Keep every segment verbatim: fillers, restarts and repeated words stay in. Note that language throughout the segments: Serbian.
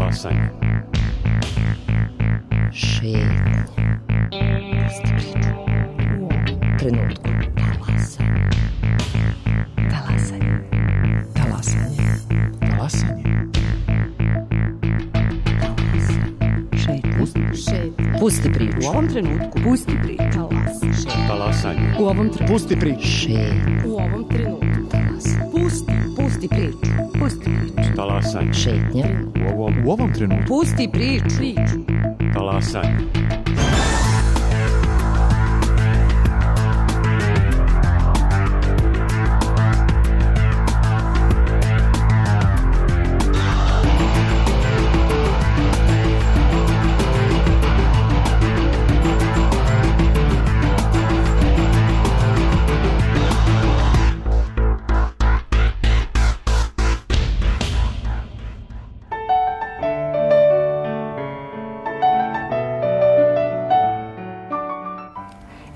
Talasanje. Šetnja. Pusti priču. U ovom trenutku. Talasanje. Talasanje. Talasanje. Talasanje. Šetnja. Pusti priču. U ovom trenutku. Pusti priču. Talas. Talasanje. U ovom trenutku. Pusti priču. Šetnja. U ovom trenutku. Talasanje. Pusti. Pusti priču. Pusti priču. Talasanje. Šetnja. U ovom, U ovom trenutku. Pusti priču. Priču. talasanje.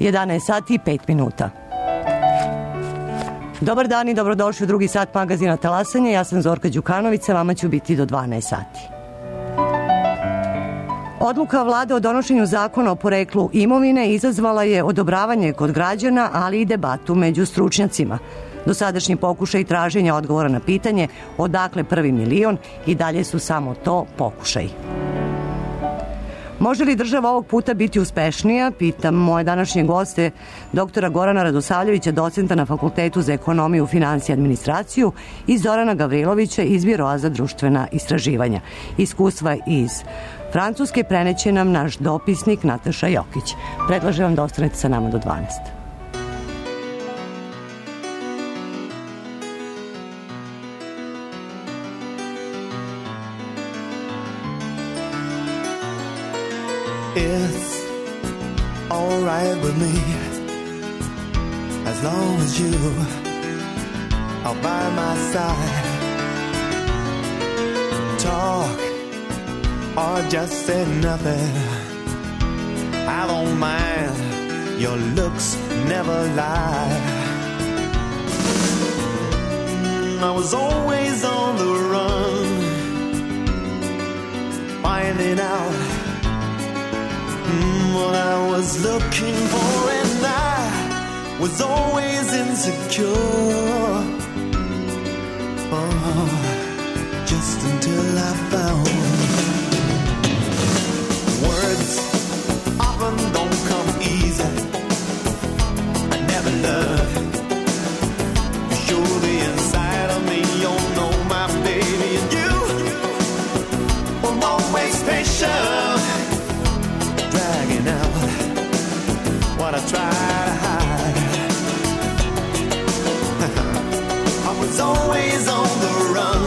jedanaest sati i pet minuta. Dobar dan i dobrodošli u drugi sat magazina Talasanje. Ja sam Zorka Đukanović, sa vama ću biti do dvanaest sati. Odluka vlade o donošenju zakona o poreklu imovine izazvala je odobravanje kod građana, ali i debatu među stručnjacima. Dosadašnji pokušaj traženja odgovora na pitanje odakle prvi milion i dalje su samo to pokušaj. Može li država ovog puta biti uspešnija? Pitam moje današnje goste, doktora Gorana Radosavljevića, docenta na Fakultetu za ekonomiju, finansije i administraciju, i Zorana Gavrilovića iz Biroa za društvena istraživanja. Iskustva iz Francuske preneće nam naš dopisnik Nataša Jokić. Predlažem vam da ostanete sa nama do dvanaest. It's all right with me, as long as you are by my side. Talk or just say nothing, I don't mind, your looks never lie. I was always on the run, finding out what I was looking for, and I was always insecure. Oh, just until I found words often don't come easy. I never learned to show the inside of me. You know my baby, and you were always patient, dragging out what I try to hide. I was always on the run,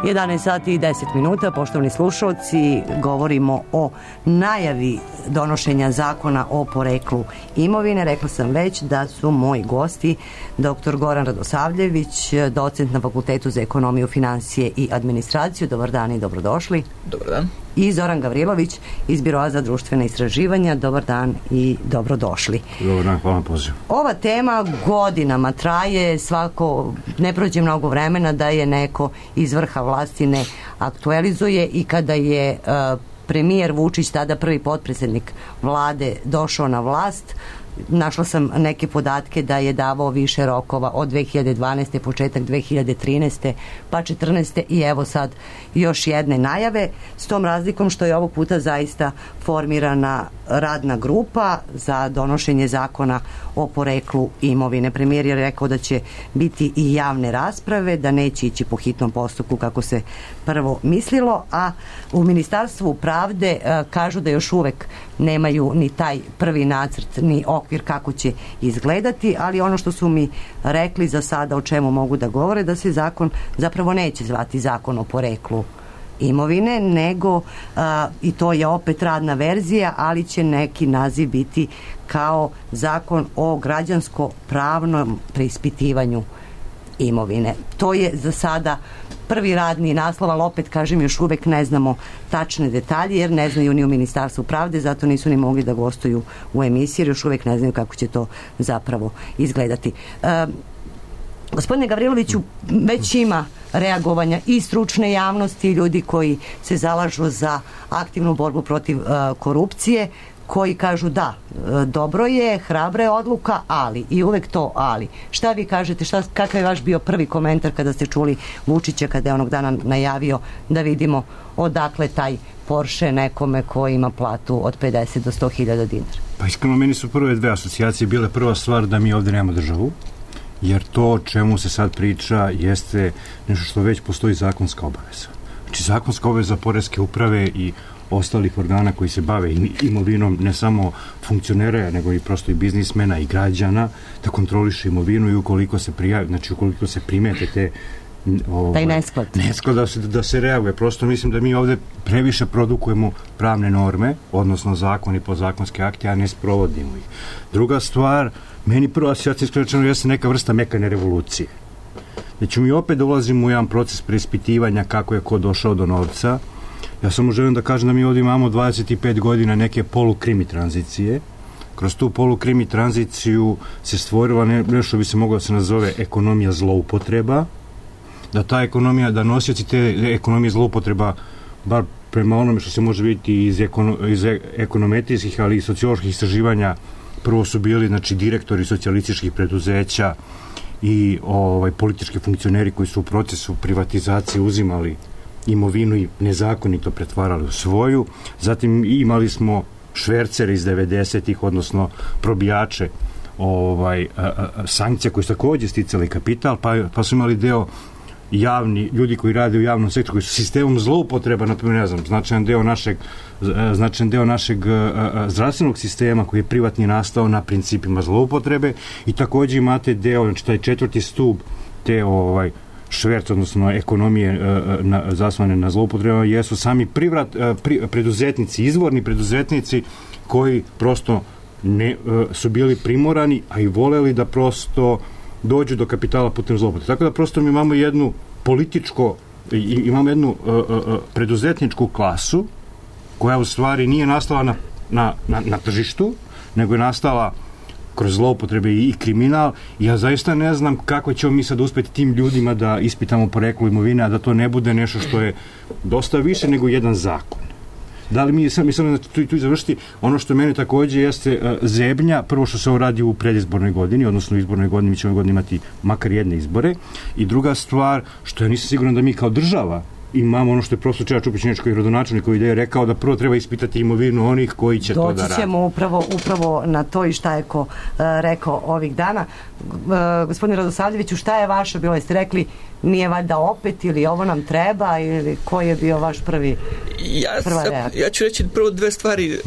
jedanaest sati i deset minuta, poštovani slušalci, govorimo o najavi donošenja zakona o poreklu imovine. Rekla sam već da su moji gosti doktor Goran Radosavljević, docent na Fakultetu za ekonomiju, finansije i administraciju. Dobar dan i dobrodošli. Dobar dan. I Zoran Gavrilović iz Biroa za društvena istraživanja. Dobar dan i dobrodošli. Dobar dan, hvala na pozivu. Ova tema godinama traje, svako, ne prođe mnogo vremena da je neko iz vrha vlasti ne aktualizuje, i kada je uh, premijer Vučić, tada prvi potpredsjednik vlade, došao na vlast, našla sam neke podatke da je davao više rokova od dve hiljade dvanaeste. početak dve hiljade trinaeste. pa četrnaeste. i evo sad još jedne najave, s tom razlikom što je ovog puta zaista formirana radna grupa za donošenje zakona o poreklu imovine. Premijer je rekao da će biti i javne rasprave, da neće ići po hitnom postupku kako se prvo mislilo, a u Ministarstvu pravde uh, kažu da još uvek nemaju ni taj prvi nacrt, ni okvir kako će izgledati, ali ono što su mi rekli za sada o čemu mogu da govore, da se zakon zapravo neće zvati zakon o poreklu imovine, nego a, i to je opet radna verzija, ali će neki naziv biti kao zakon o građansko-pravnom preispitivanju imovine. To je za sada prvi radni naslov, ali opet kažem, još uvek ne znamo tačne detalje, jer ne znaju ni u Ministarstvu pravde, zato nisu ni mogli da gostuju u emisiji, jer još uvek ne znaju kako će to zapravo izgledati. E, gospodine Gavriloviću, već ima reagovanja i stručne javnosti, ljudi koji se zalažu za aktivnu borbu protiv uh, korupcije, koji kažu da, dobro je, hrabra je odluka, ali, i uvek to ali. Šta vi kažete, šta, kakav je vaš bio prvi komentar kada ste čuli Vučića kada je onog dana najavio da vidimo odakle taj Porsche nekome koji ima platu od pedeset do sto hiljada dinara? Pa iskreno, meni su prve dve asocijacije bile prva stvar da mi ovde nemamo državu, jer to o čemu se sad priča jeste nešto što već postoji zakonska obaveza. Znači, zakonska obaveza poreske uprave i ostalih organa koji se bave imovinom, ne samo funkcionera, nego i prosto i biznismena i građana, da kontroliše imovinu, i ukoliko se prijavi, znači ukoliko se primete te ovaj, taj nesklad. Nesklad da se, da se reaguje. Prosto mislim da mi ovde previše produkujemo pravne norme, odnosno zakon i podzakonske akte, a ne sprovodimo ih. Druga stvar, meni prva asocijacija iskreno jeste neka vrsta mekane revolucije. Znači mi opet dolazimo u jedan proces preispitivanja kako je ko došao do novca. Ja samo želim da kažem da mi ovdje imamo dvadeset pet godina neke polukrimi tranzicije. Kroz tu polukrimi tranziciju se stvorila ne, nešto bi se moglo da se nazove ekonomija zloupotreba, da ta ekonomija, da nosioci te ekonomije zloupotreba, bar prema onome što se može vidjeti iz, ekono, iz ekonometrijskih, ali i socioloških istraživanja, prvo su bili, znači, direktori socijalističkih preduzeća i ovaj, politički funkcioneri koji su u procesu privatizacije uzimali imovinu i nezakonito pretvarali u svoju. Zatim imali smo švercere iz devedesetih, odnosno probijače ovaj, a, a, sankcija koji su također sticali kapital, pa, pa su imali deo javni, ljudi koji rade u javnom sektoru, koji su sistemom zloupotreba, na primjer, ne znam, značajan deo našeg, značajan deo našeg a, a, zdravstvenog sistema koji je privatni nastao na principima zloupotrebe, i također imate deo, znači taj četvrti stub te ovaj šverc, odnosno ekonomije uh, na, zasvane na zloupotrebama, jesu sami privrat, uh, pri, preduzetnici, izvorni preduzetnici koji prosto ne, uh, su bili primorani, a i voleli da prosto dođu do kapitala putem zloupotrebe. Tako da prosto mi imamo jednu političko, i, imamo jednu uh, uh, preduzetničku klasu koja u stvari nije nastala na, na, na, na tržištu, nego je nastala kroz zloupotrebe i kriminal. Ja zaista ne znam kako ćemo mi sad uspjeti tim ljudima da ispitamo poreklo imovine, a da to ne bude nešto što je dosta više nego jedan zakon. Da li mi sam mislim da tu, tu završiti ono što mene također jeste uh, zebnja, prvo što se ovo radi u predizbornoj godini, odnosno u izbornoj godini, mi ćemo ove godine imati makar jedne izbore, i druga stvar, što ja nisam siguran da mi kao država imamo ono što je profesor Čeda Čupić, koji je rodonačelnik, koji je rekao da prvo treba ispitati imovinu onih koji će Doći to da radi. Doći ćemo upravo, upravo na to i šta je ko uh, rekao ovih dana. Uh, gospodine Radosavljeviću, šta je vaše bilo? Jeste rekli nije valjda opet, ili ovo nam treba, ili koji je bio vaš prvi Ja, prva reakcija? Ja ću reći prvo dve stvari. Uh,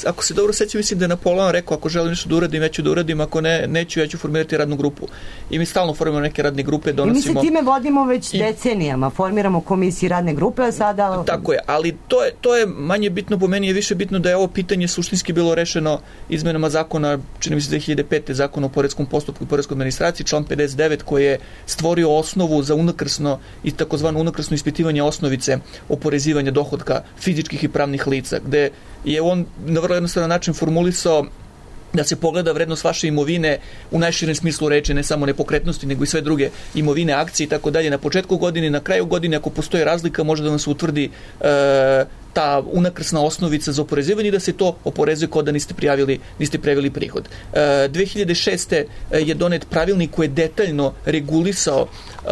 ako se dobro sećam, mislim da je Napoleon rekao, ako želim nešto da uradim, ja ću da uradim, ako ne, neću, ja ću formirati radnu grupu. I mi stalno formiramo neke radne grupe, donosimo... I mi se time vodimo već I... decenijama, formiramo komisije radne grupe, a sada... Tako je, ali to je, to je manje bitno, po meni je više bitno da je ovo pitanje suštinski bilo rešeno izmenama zakona, čini mi se dve hiljade pete. zakona o poreskom postupku i poreskoj administraciji, član pedeset devet, koji je stvorio osnovu za unakrsno i takozvano unakrsno ispitivanje osnovice oporezivanja dohodka fizičkih i pravnih lica, gde je on na vrlo jednostavan način formulisao da se pogleda vrednost vaše imovine u najširem smislu reči, ne samo nepokretnosti, nego i sve druge imovine, akcije i tako dalje. Na početku godine, na kraju godine, ako postoji razlika, može da vam se utvrdi e, ta unakrsna osnovica za oporezivanje i da se to oporezuje kao da niste prijavili, niste prijavili prihod. E, dve hiljade šeste. je donet pravilnik koji je detaljno regulisao e,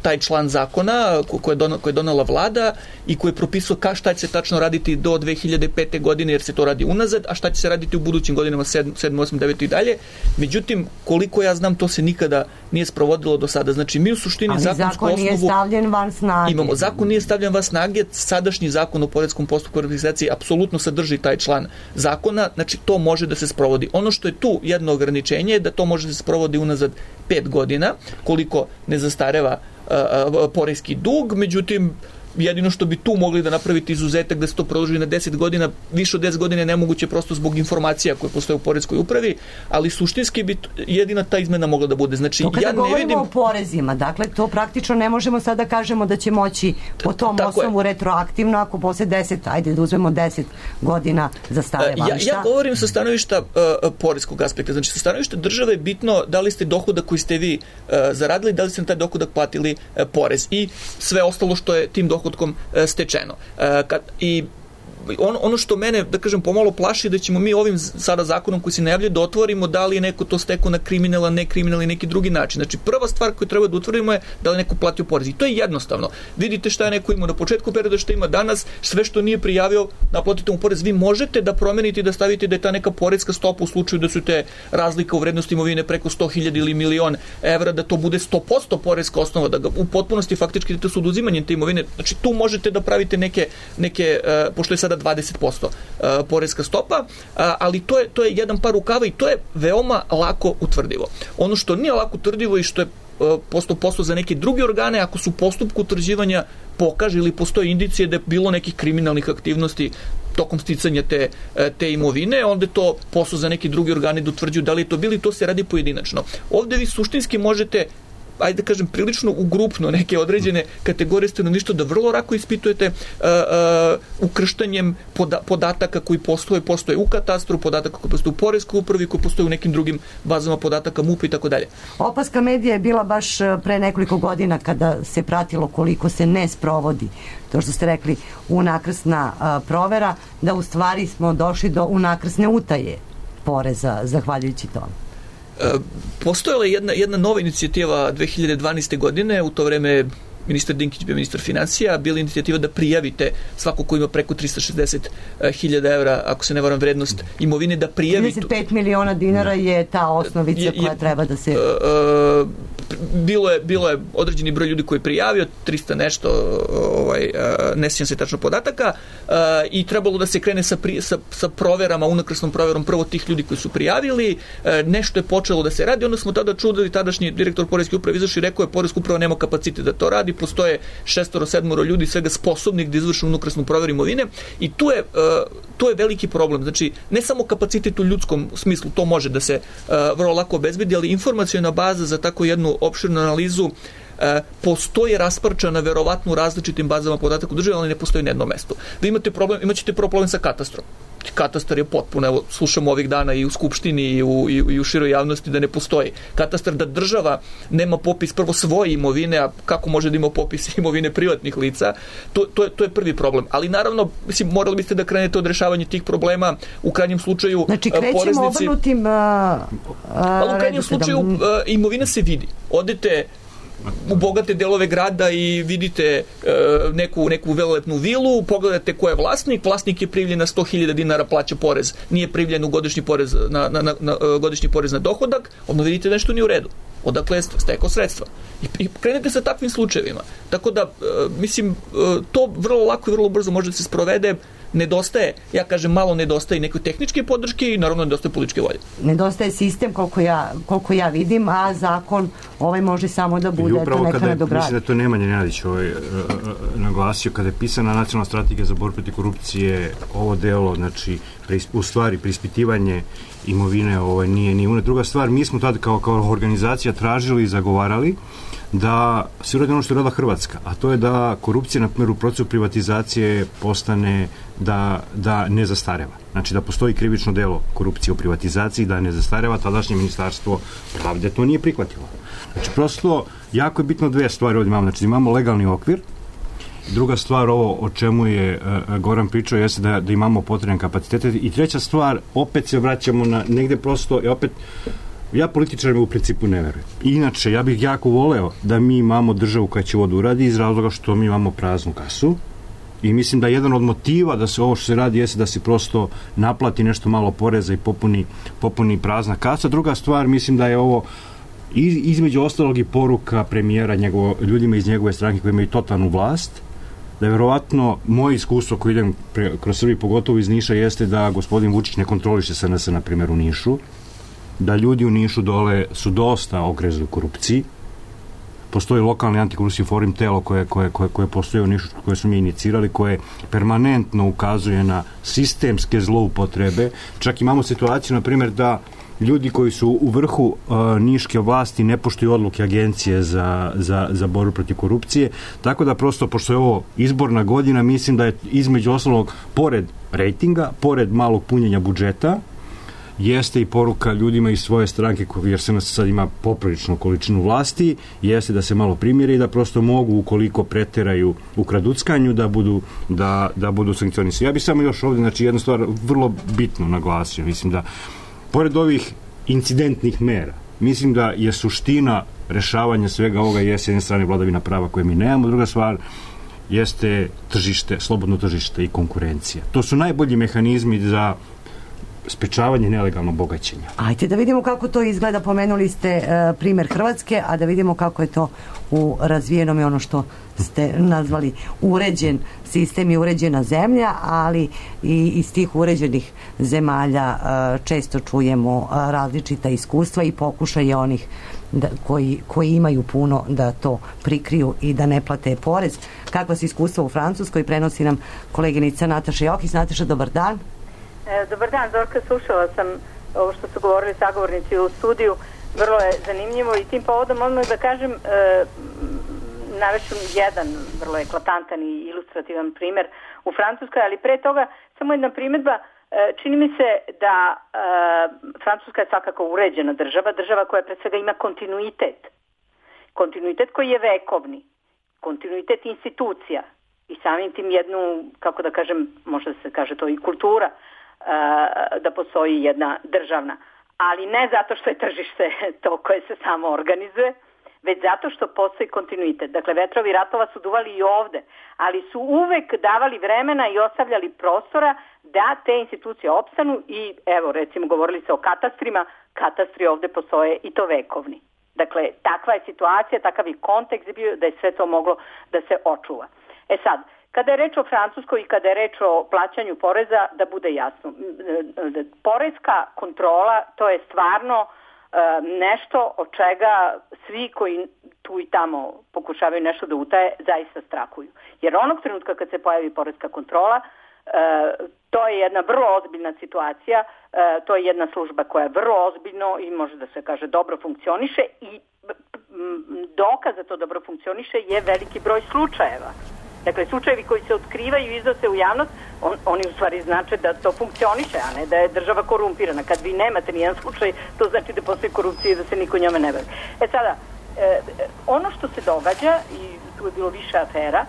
taj član zakona koji je, don, koji je donela vlada i koji je propisao ka šta će se tačno raditi do dve hiljade pete. godine, jer se to radi unazad, a šta će se raditi u budućim godinama sedam, osam, devet i dalje. Međutim, koliko ja znam, to se nikada nije sprovodilo do sada. Znači, mi u suštini ali zakonsku zakon osnovu... nije stavljen van snage. Imamo, zakon nije stavljen van snage, sadašnji zakon o poreskom postupku registracije apsolutno sadrži taj član zakona, znači to može da se sprovodi. Ono što je tu jedno ograničenje je da to može da se sprovodi unazad pet godina, koliko ne zastareva uh, uh, poreski dug, međutim jedino što bi tu mogli da napraviti izuzetak da se to produži na deset godina, više od deset godina je nemoguće prosto zbog informacija koje postoje u poreskoj upravi, ali suštinski bi jedina ta izmena mogla da bude. Znači, to kada ja ne govorimo vidim... o porezima, dakle, to praktično ne možemo sada da kažemo da će moći po tom Tako osnovu je. retroaktivno, ako posle deset, ajde da uzmemo deset godina zastareva. Ja, ja govorim sa stanovišta uh, poreskog aspekta, znači sa stanovišta države je bitno da li ste dohodak koji ste vi uh, zaradili, da li ste na taj dohodak platili uh, porez i sve ostalo što je tim dohodkom stečeno. Kad, i ono, ono što mene, da kažem, pomalo plaši da ćemo mi ovim sada zakonom koji se najavlja da otvorimo da li je neko to stekao na kriminalan, nekriminalan i neki drugi način. Znači, prva stvar koju treba da utvrdimo je da li neko platio porez. I to je jednostavno. Vidite šta je neko imao na početku perioda, šta ima danas, sve što nije prijavio, naplatite mu porez. Vi možete da promenite i da stavite da je ta neka poreska stopa u slučaju da su te razlika u vrednosti imovine preko sto hiljada ili milion evra, da to bude sto posto poreska osnova, da ga u potpunosti faktički idete s oduzimanjem te imovine. Znači, tu možete da pravite neke, neke uh, pošto je sada dvadeset posto uh, poreska stopa, uh, ali to je, to je jedan par rukava i to je veoma lako utvrdivo. Ono što nije lako utvrdivo i što je uh, posto posao za neke druge organe, ako su u postupku utvrđivanja pokaže ili postoje indicije da je bilo nekih kriminalnih aktivnosti tokom sticanja te, te imovine, onda je to posao za neke druge organe da utvrđuju da li je to bili, to se radi pojedinačno. Ovde vi suštinski možete, ajde da kažem, prilično ugrupno neke određene kategorije stanovništva da vrlo lako ispitujete uh, uh, ukrštanjem poda- podataka koji postoje, postoje u katastru, podataka koji postoje u poreskoj upravi, koji postoje u nekim drugim bazama podataka M U P i tako dalje. Opaska medija je bila baš pre nekoliko godina kada se pratilo koliko se ne sprovodi to što ste rekli unakrsna uh, provera, da u stvari smo došli do unakrsne utaje poreza zahvaljujući tome. Postojala je jedna, jedna nova inicijativa dve hiljade dvanaeste. godine, u to vreme ministar Dinkić bio ministar financija, bila inicijativa da prijavite svako ko ima preko trista šezdeset hiljada evra, ako se ne varam, vrednost imovine, da prijavi... trideset pet miliona dinara je ta osnovica je, koja je, treba da se... Uh, bilo je, bilo je određeni broj ljudi koji je prijavio, trista nešto, ovaj, ne sjećam se tačno podataka, i trebalo da se krene sa, pri, sa, sa proverama, unakrsnom proverom prvo tih ljudi koji su prijavili, nešto je počelo da se radi, onda smo tada čudili, tadašnji direktor poreske uprave izašao i rekao je poreska uprava nema kapacitet da to radi, postoje šestoro, sedmoro ljudi svega sposobnih da izvrše unakrsnu proveru imovine i tu je, tu je veliki problem. Znači, ne samo kapacitet u ljudskom smislu, to može da se vrlo lako obezbedi, ali informaciona baza za tako jednu opširnu analizu E, postoji rasprčana verovatno u različitim bazama podataka u državi, ali ne postoji na jednom mestu. Vi imate problem, imat ćete problem sa katastrom. Katastar je potpuno, evo, slušamo ovih dana i u Skupštini i u, i, i u široj javnosti da ne postoji. Katastar, da država nema popis prvo svoje imovine, a kako može da ima popis imovine privatnih lica, to, to, je, to je prvi problem. Ali naravno, mislim, morali biste da krenete od rešavanja tih problema, u krajnjem slučaju znači, krećemo poreznici... obrnutim... Uh, uh, ali u krajnjem slučaju uh, imovina se vidi. Odete u bogate delove grada i vidite e, neku, neku velelepnu vilu, pogledate ko je vlasnik, vlasnik je privljen na sto hiljada dinara, plaća porez, nije privljen u godišnji porez na, na, na, na, godišnji porez na dohodak, onda vidite da nešto nije u redu. odakle je stekao sredstva. I, i krenete sa takvim slučajevima. Tako da, e, mislim, e, to vrlo lako i vrlo brzo može da se sprovede. Nedostaje, ja kažem, malo nedostaje neke tehničke podrške i naravno nedostaje političke volje. Nedostaje sistem koliko ja, koliko ja vidim, a zakon ovaj može samo da bude to neka nadogradnja. Mislim da to Nemanja Nenadić ovaj, naglasio, kada je pisana nacionalna strategija za borbu protiv korupcije, ovo delo, znači, u stvari, preispitivanje imovine ovaj, nije ni una. Druga stvar, mi smo tada kao, kao organizacija tražili i zagovarali da se uradi ono što je radila Hrvatska, a to je da korupcija, na primjer, u procesu privatizacije postane da, da ne zastareva. Znači da postoji krivično delo korupcije u privatizaciji, da ne zastareva. Tadašnje ministarstvo pravde to nije prihvatilo. Znači prosto jako je bitno dve stvari ovdje imamo. Znači imamo legalni okvir. Druga stvar, ovo o čemu je uh, Goran pričao, jeste da, da imamo potrebne kapacitete. I treća stvar, opet se vraćamo na negde prosto, i opet ja političarima u principu ne verujem. Inače, ja bih jako voleo da mi imamo državu koja će ovo da uradi iz razloga što mi imamo praznu kasu i mislim da jedan od motiva da se ovo što se radi jeste da se prosto naplati nešto malo poreza i popuni, popuni prazna kasa. Druga stvar, mislim da je ovo između ostalog i poruka premijera njegovo, ljudima iz njegove stranke koji imaju totalnu vlast, da je verovatno moje iskustvo koje idem pre, kroz Srbiju, pogotovo iz Niša, jeste da gospodin Vučić ne kontroliše S N S na primjer u Nišu, da ljudi u Nišu dole su dosta ogrezli u korupciji. Postoji lokalni antikorupcijski forum, telo koje, koje, koje, koje postoje u Nišu, koje su mi inicirali, koje permanentno ukazuje na sistemske zloupotrebe. Čak imamo situaciju, na primjer, da ljudi koji su u vrhu uh, niške vlasti ne poštuju odluke agencije za, za, za borbu protiv korupcije. Tako da prosto, pošto je ovo izborna godina, mislim da je između osnovnog, pored rejtinga, pored malog punjenja budžeta, jeste i poruka ljudima iz svoje stranke, jer se nas sad ima popriličnu količinu vlasti, jeste da se malo primjere i da prosto mogu, ukoliko preteraju u kraduckanju, da budu, da, da budu sankcionisani. Ja bih samo još ovdje, znači, jednu stvar vrlo bitno naglasio. Mislim da, pored ovih incidentnih mera, mislim da je suština rešavanja svega ovoga je s jedne strane vladavina prava koje mi nemamo, druga stvar jeste tržište, slobodno tržište i konkurencija. To su najbolji mehanizmi za sprečavanje nelegalnog bogaćenja. Ajde da vidimo kako to izgleda. Pomenuli ste uh, primjer Hrvatske, a da vidimo kako je to u razvijenom i ono što ste nazvali uređen sistem i uređena zemlja, ali i iz tih uređenih zemalja uh, često čujemo uh, različita iskustva i pokušaje onih da, koji, koji imaju puno da to prikriju i da ne plate porez. Kakva su iskustva u Francuskoj, prenosi nam koleginica Nataša Jokić. Nataša, dobar dan. Dobar dan, Zorka, slušala sam ovo što su govorili sagovornici u studiju, vrlo je zanimljivo i tim povodom odmah da kažem, e, navešću jedan vrlo eklatantan i ilustrativan primjer u Francuskoj, ali pre toga samo jedna primjedba, e, čini mi se da e, Francuska je svakako uređena država, država koja pre svega ima kontinuitet, kontinuitet koji je vekovni, kontinuitet institucija i samim tim jednu, kako da kažem, možda se kaže to i kultura, da postoji jedna državna, ali ne zato što je tržište to koje se samo organizuje, već zato što postoji kontinuitet. Dakle, vetrovi ratova su duvali i ovde, ali su uvek davali vremena i ostavljali prostora da te institucije opstanu i, evo, recimo, govorili se o katastrima, katastri ovde postoje i to vekovni. Dakle, takva je situacija, takav je kontekst bio da je sve to moglo da se očuva. E sad, kada je reč o Francuskoj i kada je reč o plaćanju poreza, da bude jasno, porezka kontrola, to je stvarno nešto od čega svi koji tu i tamo pokušavaju nešto da utaje, zaista strahuju. Jer onog trenutka kad se pojavi porezka kontrola, to je jedna vrlo ozbiljna situacija, to je jedna služba koja je vrlo ozbiljno i može da se kaže dobro funkcioniše i dokaz da to dobro funkcioniše je veliki broj slučajeva. Dakle, slučajevi koji se otkrivaju i iznose u javnost, on, oni u stvari znače da to funkcioniše, a ne da je država korumpirana. Kad vi nemate nijedan slučaj, to znači da postoji korupcija i da se niko njome ne bavi. E sada, e, ono što se događa, i tu je bilo više afera,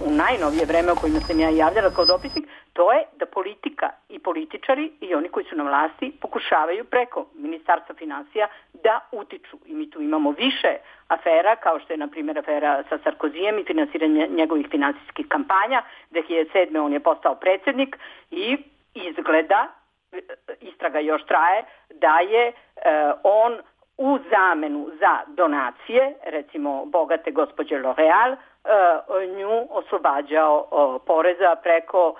u najnovije vreme o kojima sam ja javljala kao dopisnik, to je da politika i političari i oni koji su na vlasti pokušavaju preko Ministarstva finansija da utiču. I mi tu imamo više afera, kao što je, na primjer, afera sa Sarkozijem i finansiranje njegovih finansijskih kampanja. dve hiljade sedme. on je postao predsjednik i izgleda, istraga još traje, da je eh, on u zamenu za donacije, recimo bogate gospođe L'Oreal, nju oslobađao poreza preko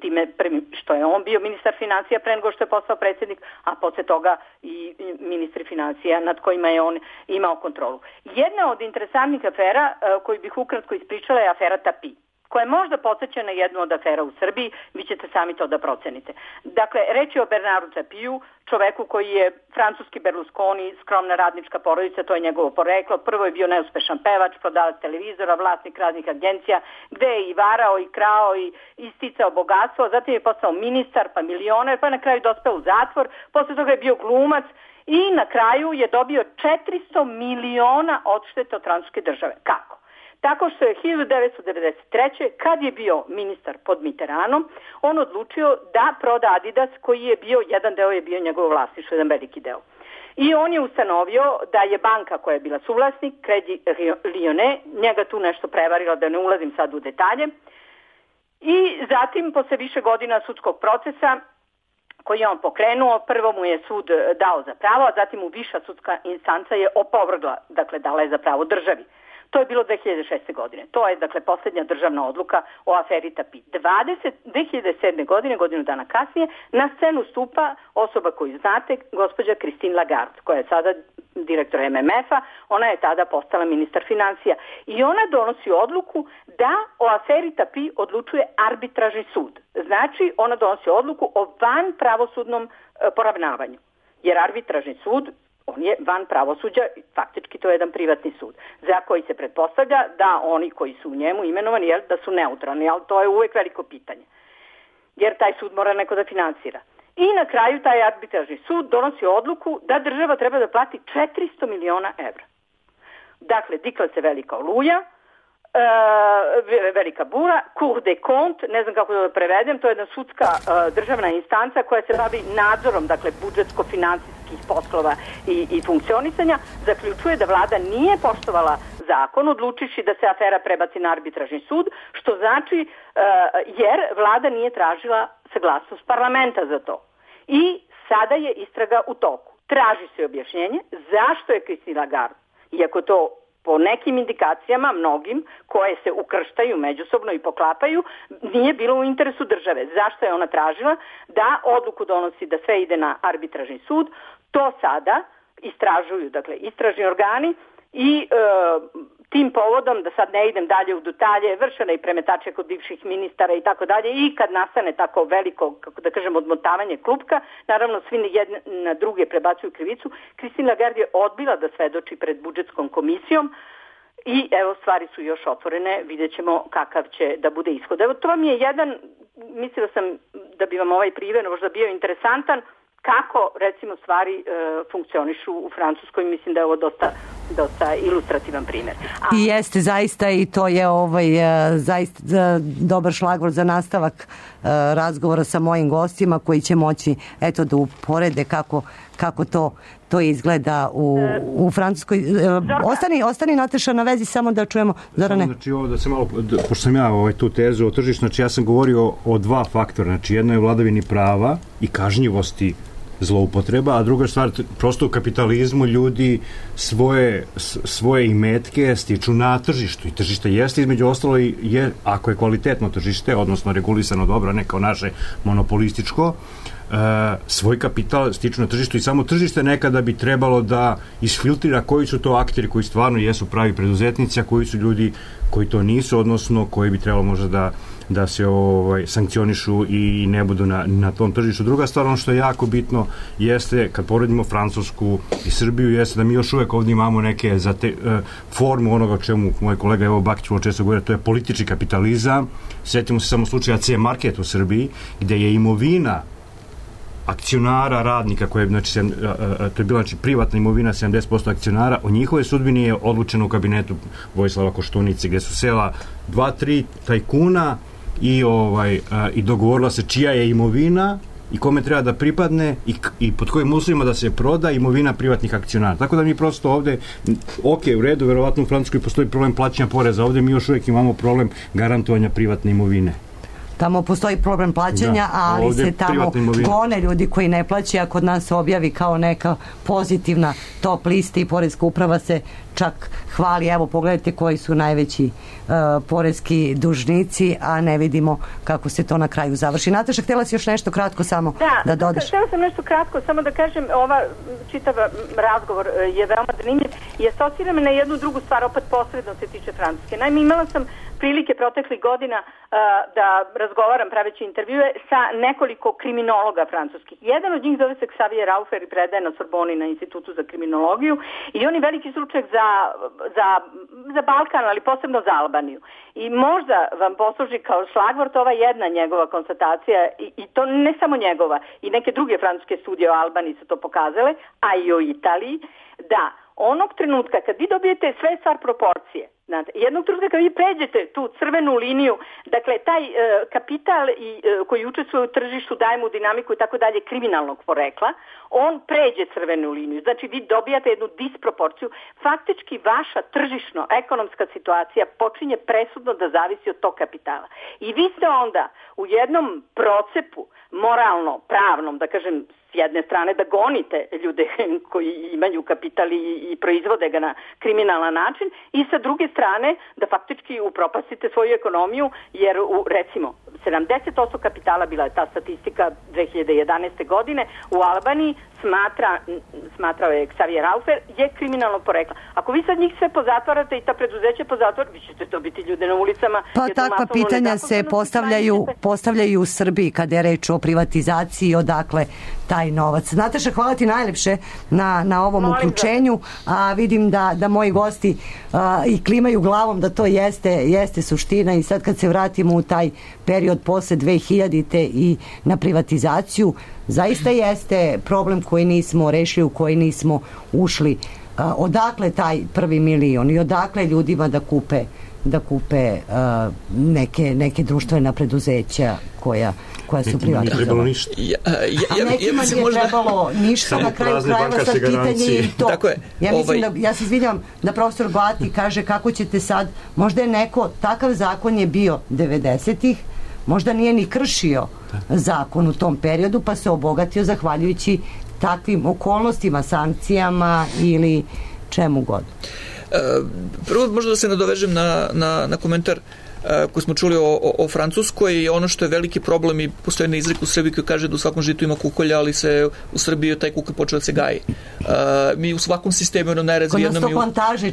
time što je on bio ministar financija pre nego što je postao predsjednik, a posle toga i ministri financija nad kojima je on imao kontrolu. Jedna od interesantnih afera koju bih ukratko ispričala je afera Tapi, koja je možda podsjeća na jednu od afera u Srbiji, vi ćete sami to da procenite. Dakle, reč je o Bernardu Tapiju, čoveku koji je francuski Berlusconi, skromna radnička porodica, to je njegovo poreklo. Prvo je bio neuspešan pevač, prodavac televizora, vlasnik raznih agencija, gde je i varao, i krao, i isticao bogatstvo, zatim je postao ministar, pa milioner, pa na kraju dospeo u zatvor, posle toga je bio glumac i na kraju je dobio četiristo miliona odštete od francuske države. Kako? Tako što je hiljadu devetsto devedeset treće kad je bio ministar pod Mitterrandom, on odlučio da proda Adidas, koji je bio, jedan deo je bio njegovo vlasništvo, jedan veliki deo. I on je ustanovio da je banka koja je bila suvlasnik, Credit Lyonnais, njega tu nešto prevarila, da ne ulazim sad u detalje. I zatim, posle više godina sudskog procesa, koji je on pokrenuo, prvo mu je sud dao za pravo, a zatim mu viša sudska instanca je opovrgla, dakle dala je za pravo državi. To je bilo dve hiljade šeste. godine. To je, dakle, posljednja državna odluka o aferi Tapi. dve hiljade sedme. godine, godinu dana kasnije, na scenu stupa osoba koju znate, gospođa Christine Lagarde, koja je sada direktor M M F-a, ona je tada postala ministar financija. I ona donosi odluku da o aferi Tapi odlučuje arbitražni sud. Znači, ona donosi odluku o van pravosudnom e, poravnavanju. Jer arbitražni sud, on je van pravosuđa, faktički to je jedan privatni sud, za koji se pretpostavlja da oni koji su u njemu imenovani, jel, da su neutralni, ali to je uvek veliko pitanje. Jer taj sud mora neko da finansira. I na kraju taj arbitražni sud donosi odluku da država treba da plati četiristo miliona evra. Dakle, dikla se velika oluja, e, velika bura, Cour des Comptes, ne znam kako da prevedem, to je jedna sudska e, državna instanca koja se bavi nadzorom, dakle, budžetsko-finansijskih poslova i, i funkcionisanja, zaključuje da vlada nije poštovala zakon, odlučiši da se afera prebaci na arbitražni sud, što znači e, jer vlada nije tražila saglasnost parlamenta za to. I sada je istraga u toku. Traži se objašnjenje zašto je Christine Lagarde, iako to po nekim indikacijama, mnogim, koje se ukrštaju međusobno i poklapaju, nije bilo u interesu države. Zašto je ona tražila da odluku donosi da sve ide na arbitražni sud? To sada istražuju, dakle, istražni organi i e, tim povodom, da sad ne idem dalje u detalje, vršena i premetače kod bivših ministara i tako dalje, i kad nastane tako veliko, kako da kažem, odmotavanje klupka, naravno svi jedne na druge prebacuju krivicu. Christine Lagarde je odbila da svedoči pred budžetskom komisijom i evo, stvari su još otvorene, vidjet ćemo kakav će da bude ishod. Evo, to vam je jedan, mislila sam da bi vam ovaj primjer možda bio interesantan, kako, recimo, stvari e, funkcionišu u Francuskoj. Mislim da je ovo dosta, dosta ilustrativan primjer. A... I jeste, zaista, i to je ovaj, zaista dobar šlagvort za nastavak e, razgovora sa mojim gostima, koji će moći, eto, da uporede kako, kako to, to izgleda u, u Francuskoj. E, ostani, ostani, Nataša, na vezi, samo da čujemo. Zorane. Znači, ovo da se malo, pošto sam ja ovaj, tu tezu o tržištu, znači ja sam govorio o dva faktora. Znači, jedno je vladavini prava i kažnjivosti zloupotreba, a druga stvar, prosto u kapitalizmu ljudi svoje, svoje imetke stiču na tržištu, i tržište jeste između ostalo, je, ako je kvalitetno tržište, odnosno regulisano dobro, ne kao naše monopolističko, e, svoj kapital stiču na tržištu, i samo tržište nekada bi trebalo da isfiltrira koji su to akteri koji stvarno jesu pravi preduzetnici, a koji su ljudi koji to nisu, odnosno koji bi trebalo možda da da se ovaj, sankcionišu i ne budu na, na tom tržištu. Druga stvar, ono što je jako bitno, jeste, kad poredimo Francusku i Srbiju, jeste da mi još uvek ovdje imamo neke za te, uh, formu onoga o čemu moj kolega Evo Bakić vrlo često govori, to je politički kapitalizam. Sjetimo se samo slučaja C Market u Srbiji, gde je imovina akcionara, radnika, koje, znači, sem, a, a, to je bila, znači, privatna imovina sedamdeset posto akcionara, o njihove sudbini je odlučeno u kabinetu Vojislava Koštunice, gde su sela dva, tri tajkuna i, ovaj, a, i dogovorila se čija je imovina i kome treba da pripadne i, i pod kojim uslovima da se proda imovina privatnih akcionara. Tako da mi prosto ovde, ok, u redu, verovatno u Francuskoj postoji problem plaćanja poreza, ovde mi još uvijek imamo problem garantovanja privatne imovine. Tamo postoji problem plaćanja, Da, ali ovdje se tamo privatna imovina. gone ljudi koji ne plaćaju, a kod nas se objavi kao neka pozitivna top lista i poreska uprava se čak hvali, evo pogledajte koji su najveći uh, poreski dužnici, a ne vidimo kako se to na kraju završi. Nataša, htjela si još nešto kratko samo da, da dodaš? Htjela sam nešto kratko, samo da kažem, ova čitav razgovor je veoma zanimljiv i asocira me na jednu drugu stvar, opet posredno se tiče Francuske. Naime, imala sam prilike proteklih godina uh, da razgovaram praveći intervjue sa nekoliko kriminologa francuskih. Jedan od njih zove se Xavier Raufer i predaje na Sorboni na Institutu za kriminologiju i on je veliki stručnjak za, za, za Balkan, ali posebno za Albaniju. I možda vam posluži kao šlagvort ova jedna njegova konstatacija i, i to ne samo njegova, i neke druge francuske studije o Albaniji su to pokazale, a i o Italiji, da onog trenutka kad vi dobijete sve stvar proporcije, znate, jednog trenutka kad vi pređete tu crvenu liniju, dakle taj e, kapital i, e, koji učestvuje u tržištu, daje mu dinamiku i tako dalje kriminalnog porekla, on pređe crvenu liniju. Znači vi dobijate jednu disproporciju. Faktički vaša tržišno-ekonomska situacija počinje presudno da zavisi od tog kapitala. I vi ste onda u jednom procepu moralno, pravnom, da kažem, s jedne strane da gonite ljude koji imaju kapital i, i proizvode ga na kriminalan način i sa druge strane da faktički upropastite svoju ekonomiju jer u, recimo sedamdeset posto kapitala, bila je ta statistika dve hiljade jedanaeste godine, u Albaniji smatra, smatrao je Xavier Raufer, je kriminalno porekla. Ako vi sad njih sve pozatvarate i ta preduzeća pozatvarate, vi ćete dobiti ljude na ulicama. Pa takva pitanja se postavljaju, postavljaju u Srbiji kada je reč o privatizaciji, odakle taj novac. Nataša, hvala ti najlepše na, na ovom Molim uključenju, a vidim da, da moji gosti a, i klimaju glavom da to jeste, jeste suština i sad kad se vratimo u taj period posle dve hiljadite i na privatizaciju, zaista jeste problem koji nismo rešili, u koji nismo ušli. A, odakle taj prvi milion i odakle ljudima da kupe da kupe uh, neke, neke društvena preduzeća koja, koja su privatizovana. Ja, ja, a nekima ja, nije možda... trebalo ništa, samo na kraju krajeva sad pitanje i to. Tako je, ja mislim ovaj... da, ja se izvinjam da profesor Bati kaže kako ćete sad, možda je neko, takav zakon je bio devedesetih, možda nije ni kršio zakon u tom periodu, pa se obogatio zahvaljujući takvim okolnostima, sankcijama ili čemu god. Prvo možda da se nadovežem na, na, na komentar koji smo čuli o, o, o Francuskoj i ono što je veliki problem i postoji jedna izreka u Srbiji koji kaže da u svakom žitu ima kukolja, ali se u Srbiji taj kukolj počeo da se gaji. Uh, mi u svakom sistemu jedno najrazvijenom i u,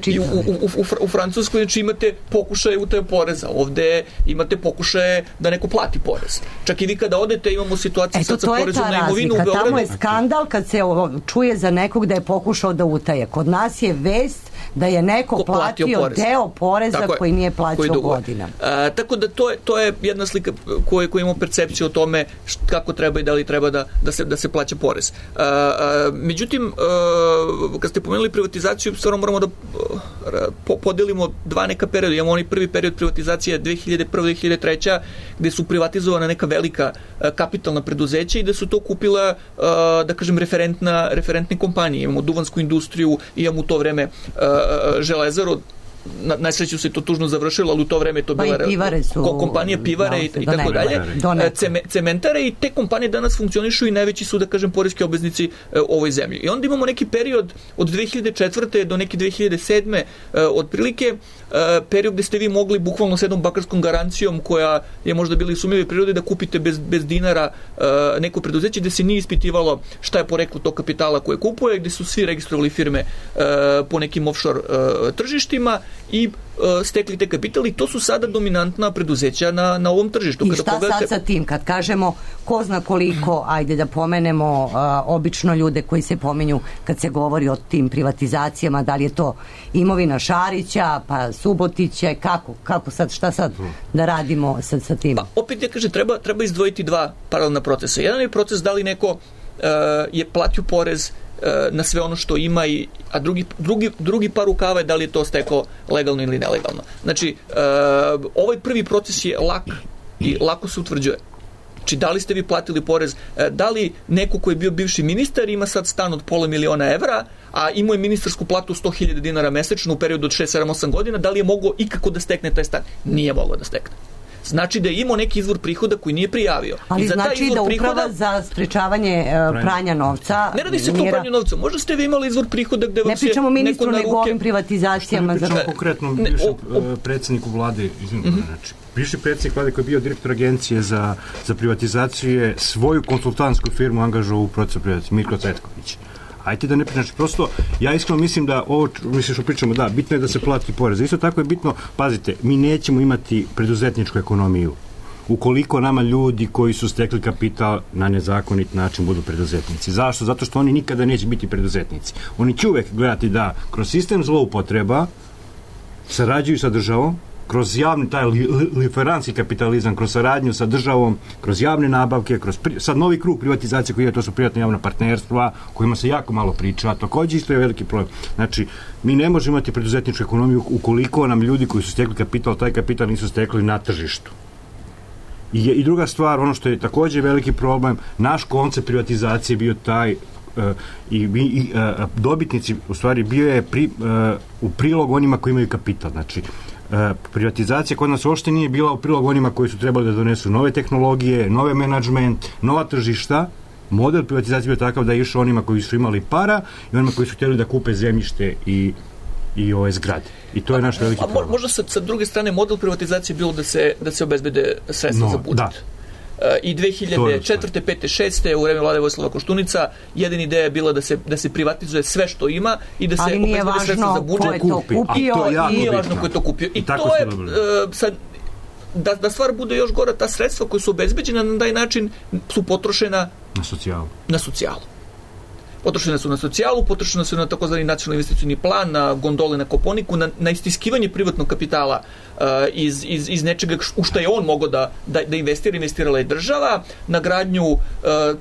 i u, u, u, u Francuskoj znači imate pokušaje utaje poreza, ovde imate pokušaje da neko plati porez. Čak i vi kada odete imamo situaciju Eto, sa porezom na imovinu u Beogradu. Tamo je skandal kad se čuje za nekog da je pokušao da utaje. Kod nas je vest da je neko platio, platio porez. Deo poreza je, koji nije plaćao godinama. A, tako da to je, to je jedna slika koju, koju imamo percepciju o tome št, kako treba i da li treba da, da, se, da se plaća porez. A, a, međutim, a, kad ste pomenuli privatizaciju, stvarno moramo da a, po, podelimo dva neka perioda. Imamo onaj prvi period privatizacije dve hiljade prve do dve hiljade treće gde su privatizovana neka velika a, kapitalna preduzeća i da su to kupila, a, da kažem, referentna, referentne kompanije. Imamo duvansku industriju, imamo u to vreme a, Železaru, na, na sreću se to tužno završilo, ali u to vreme to bila su, kompanija pivare i, i tako dalje, Ceme, cementare i te kompanije danas funkcionišu i najveći su, da kažem, poreski obveznici e, ovoj zemlji. I onda imamo neki period od dve hiljade četvrte do neke dve hiljade sedme e, otprilike, e, period gde ste vi mogli bukvalno s jednom bakarskom garancijom koja je možda bila i sumnjive prirode da kupite bez, bez dinara e, neko preduzeće gde se nije ispitivalo šta je poreklo tog kapitala koje kupuje, gde su svi registrovali firme e, po nekim offshore e, tržištima i uh, stekli te kapitali, to su sada dominantna preduzeća na, na ovom tržištu. I Kada šta pogledate... sad sa tim? Kad kažemo ko zna koliko, ajde da pomenemo uh, obično ljude koji se pominju kad se govori o tim privatizacijama, da li je to imovina Šarića, pa Subotiće, kako, kako sad, šta sad da radimo sad sa tim? Pa opet ja kažem, treba, treba izdvojiti dva paralelna procesa. Jedan je proces da li neko uh, je platio porez na sve ono što ima, i, a drugi, drugi, drugi par rukava je da li je to stekao legalno ili nelegalno. Znači, uh, ovaj prvi proces je lak i lako se utvrđuje. Znači, da li ste vi platili porez, da li neko koji je bio bivši ministar ima sad stan od pola miliona evra, a imao je ministarsku platu sto hiljada dinara mesečno u periodu od šest, sedam, osam godina, da li je mogao ikako da stekne taj stan? Nije mogao da stekne. Znači da je imao neki izvor prihoda koji nije prijavio. Ali I za taj znači izvor da uprava prihoda, za sprečavanje uh, pranja novca... Ne radi se to o pranju novca. Možda ste vi imali izvor prihoda gde vam ne se pričamo ministru, neko na nego ruke... ovim privatizacijama. Ne pričamo za... konkretno Ne, bivšem o, o... predsjedniku vlade, izvinite, mm-hmm. znači, bivši predsjednik vlade koji je bio direktor agencije za, za privatizaciju je svoju konsultantsku firmu angažovao u procesu privatizacije, Mirko Cvetković. Ajde da ne pričam, znači prosto, ja iskreno mislim da ovo, mislim što pričamo, da, bitno je da se plati porez. Isto tako je bitno, pazite, mi nećemo imati preduzetničku ekonomiju ukoliko nama ljudi koji su stekli kapital na nezakonit način budu preduzetnici. Zašto? Zato što oni nikada neće biti preduzetnici. Oni će uvek gledati da kroz sistem zloupotreba sarađuju sa državom, kroz javni taj li, li, liferanski kapitalizam, kroz saradnju sa državom, kroz javne nabavke, kroz pri, sad novi krug privatizacije koji je, to su privatna javna partnerstva, kojima se jako malo priča, a takođe isto je veliki problem. Znači, mi ne možemo imati preduzetničku ekonomiju ukoliko nam ljudi koji su stekli kapital, taj kapital nisu stekli na tržištu. I, I druga stvar, ono što je takođe veliki problem, naš koncept privatizacije bio taj uh, i, i uh, dobitnici, u stvari, bio je pri, uh, u prilog onima koji imaju kapital. Znači, uh, privatizacija kod nas uopšte nije bila u prilog onima koji su trebali da donesu nove tehnologije, nove menadžment, nova tržišta. Model privatizacije bio takav da je išao onima koji su imali para i onima koji su htjeli da kupe zemljište i i ove zgrade. I to je naš veliki problem. A možda sa, sa druge strane model privatizacije bilo da se, da se obezbede sredstva no, za budžet. Da. Uh, I dve hiljade četvrte, pete, šeste u vreme vlade Vojislava Koštunica jedina ideja je bila da se, da se privatizuje sve što ima i da se obezbede sredstva za budžet. Ali nije važno ko je to kupio. I, i nije važno ko je to kupio. I, I to je, uh, sad, da, da stvar bude još gora, ta sredstva koja su obezbeđena na taj način su potrošena na socijalu. Na socijalu. Potrošene su na socijalu, potrošene su na takozvani nacionalni investicioni plan, na gondole na Koponiku, na, na istiskivanje privatnog kapitala uh, iz, iz, iz nečega u što je on mogao da, da, da investira, investirala je država, na gradnju uh,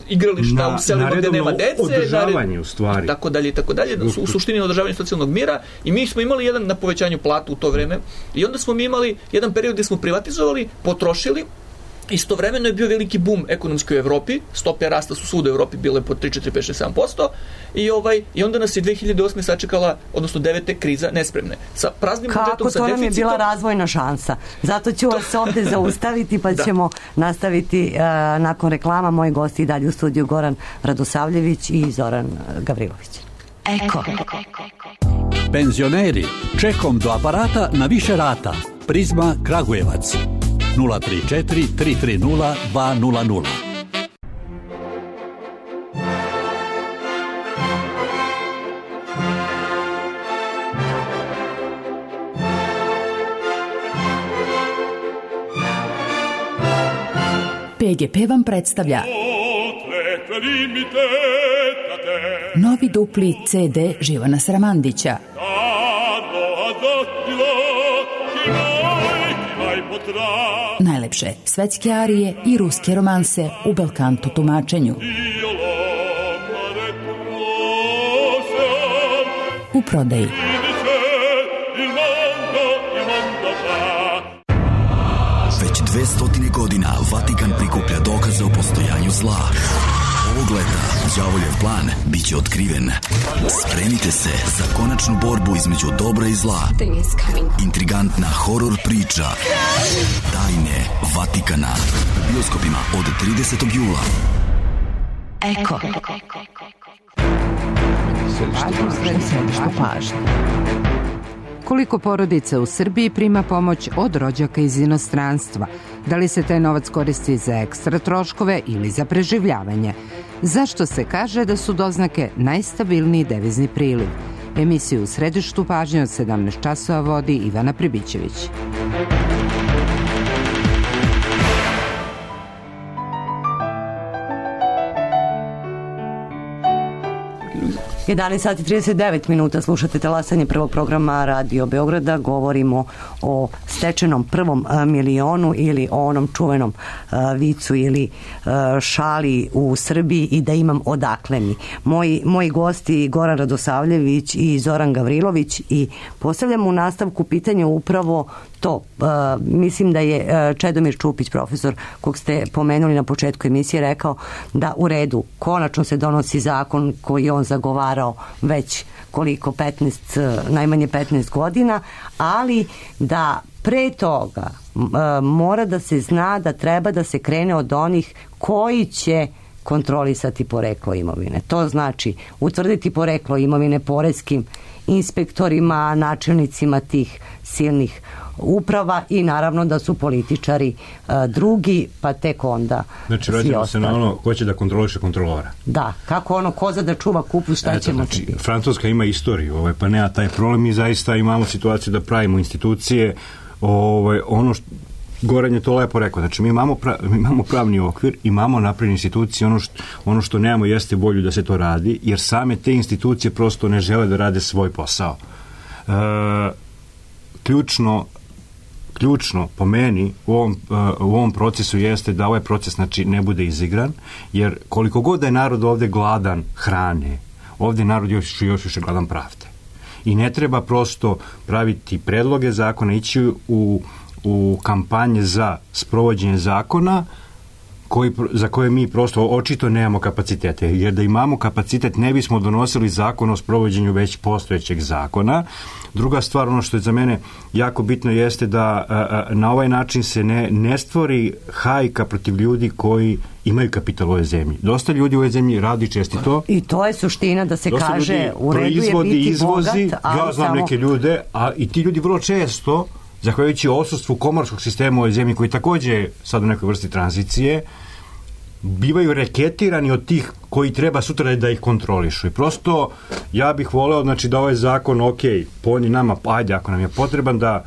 igrališta na, u selima gde nema dece, održavanje u stvari. I tako dalje, i tako dalje, u, u suštini na održavanju socijalnog mira. I mi smo imali jedan na povećanju platu u to vreme i onda smo mi imali jedan period gde smo privatizovali, potrošili. Istovremeno je bio veliki bum ekonomski u Evropi, stope rasta su svuda u Evropi bile po tri, četiri, pet, šest, sedam posto i, ovaj, i onda nas je dve hiljade osme sačekala, odnosno devete kriza nespremne. Sa praznim Kako budžetom, sa deficitom. Kako to nam je bila razvojna šansa. Zato ću vas ovde zaustaviti pa da. ćemo nastaviti uh, nakon reklama. Moji gosti i dalje u studiju Goran Radosavljević i Zoran Gavrilović. Eko. Penzioneri, čekom do aparata na više rata. Prizma Kragujevac. nula tri četiri tri tri nula dva nula nula. P G P vam predstavlja novi dupli C D Živana Sramandića. Najlepše svetske arije i ruske romanse u belkanto tumačenju. U prodaji. Već dve stotine godina Vatikan prikuplja dokaze o postojanju zla. Ovog leta đavoljev plan biće otkriven. Spremite se za konačnu borbu između dobra i zla. Intrigantna horor priča Tajne Vatikana u bioskopima od tridesetog jula. Eko. Središte pažnje. Koliko porodica u Srbiji prima pomoć od rođaka iz inostranstva? Da li se taj novac koristi za ekstra troškove ili za preživljavanje? Zašto se kaže da su doznake najstabilniji devizni priliv? Emisiju u središtu pažnje od sedamnaest časova vodi Ivana Pribićević. jedanaest sati i trideset devet minuta, slušate talasanje prvog programa Radio Beograda. Govorimo o stečenom prvom milionu ili o onom čuvenom uh, vicu ili uh, šali u Srbiji i da imam odakle mi. Moji, moji gosti Goran Radosavljević i Zoran Gavrilović i postavljam u nastavku pitanje upravo to. Uh, mislim da je uh, Čedomir Čupić, profesor kog ste pomenuli na početku emisije, rekao da u redu, konačno se donosi zakon koji on zagovarao već koliko, petnaest, najmanje petnaest godina, ali da pre toga mora da se zna da treba da se krene od onih koji će kontrolisati poreklo imovine. To znači utvrditi poreklo imovine poreskim inspektorima, načelnicima tih silnih uprava i naravno da su političari a, drugi, pa tek onda znači vraćamo se na ono ko će da kontroliše kontrolora. Da, kako ono koza da čuva kupus, šta Eto, ćemo znači, čuti. Francuska ima istoriju, ovaj, pa nema taj problem. Mi zaista imamo situaciju da pravimo institucije, ovaj, ono što Goran je to lepo rekao, znači mi imamo, pra, mi imamo pravni okvir, imamo napravljene institucije, ono što, ono što nemamo jeste volju da se to radi, jer same te institucije prosto ne žele da rade svoj posao. E, ključno ključno po meni u ovom, u ovom procesu jeste da ovaj proces znači ne bude izigran, jer koliko god da je narod ovde gladan hrane, ovde narod još, još više gladan pravde. I ne treba prosto praviti predloge zakona, ići u u kampanje za sprovođenje zakona koji, za koje mi prosto očito nemamo kapacitete, jer da imamo kapacitet ne bismo donosili zakon o sprovođenju već postojećeg zakona. Druga stvar, ono što je za mene jako bitno jeste da a, a, na ovaj način se ne, ne stvori hajka protiv ljudi koji imaju kapital u ovoj zemlji. Dosta ljudi u ovoj zemlji radi čestito. I to je suština da se Dosta kaže u redu je biti izvozi, bogat, ali ja znam samo... neke ljude, a i ti ljudi vrlo često zahvaljujući odsustvu komorskog sistema u ovoj zemlji, koji takođe sad u nekoj vrsti tranzicije, bivaju reketirani od tih koji treba sutra da ih kontrolišu. I prosto ja bih voleo znači, da ovaj zakon, ok, poni nama, ajde ako nam je potreban da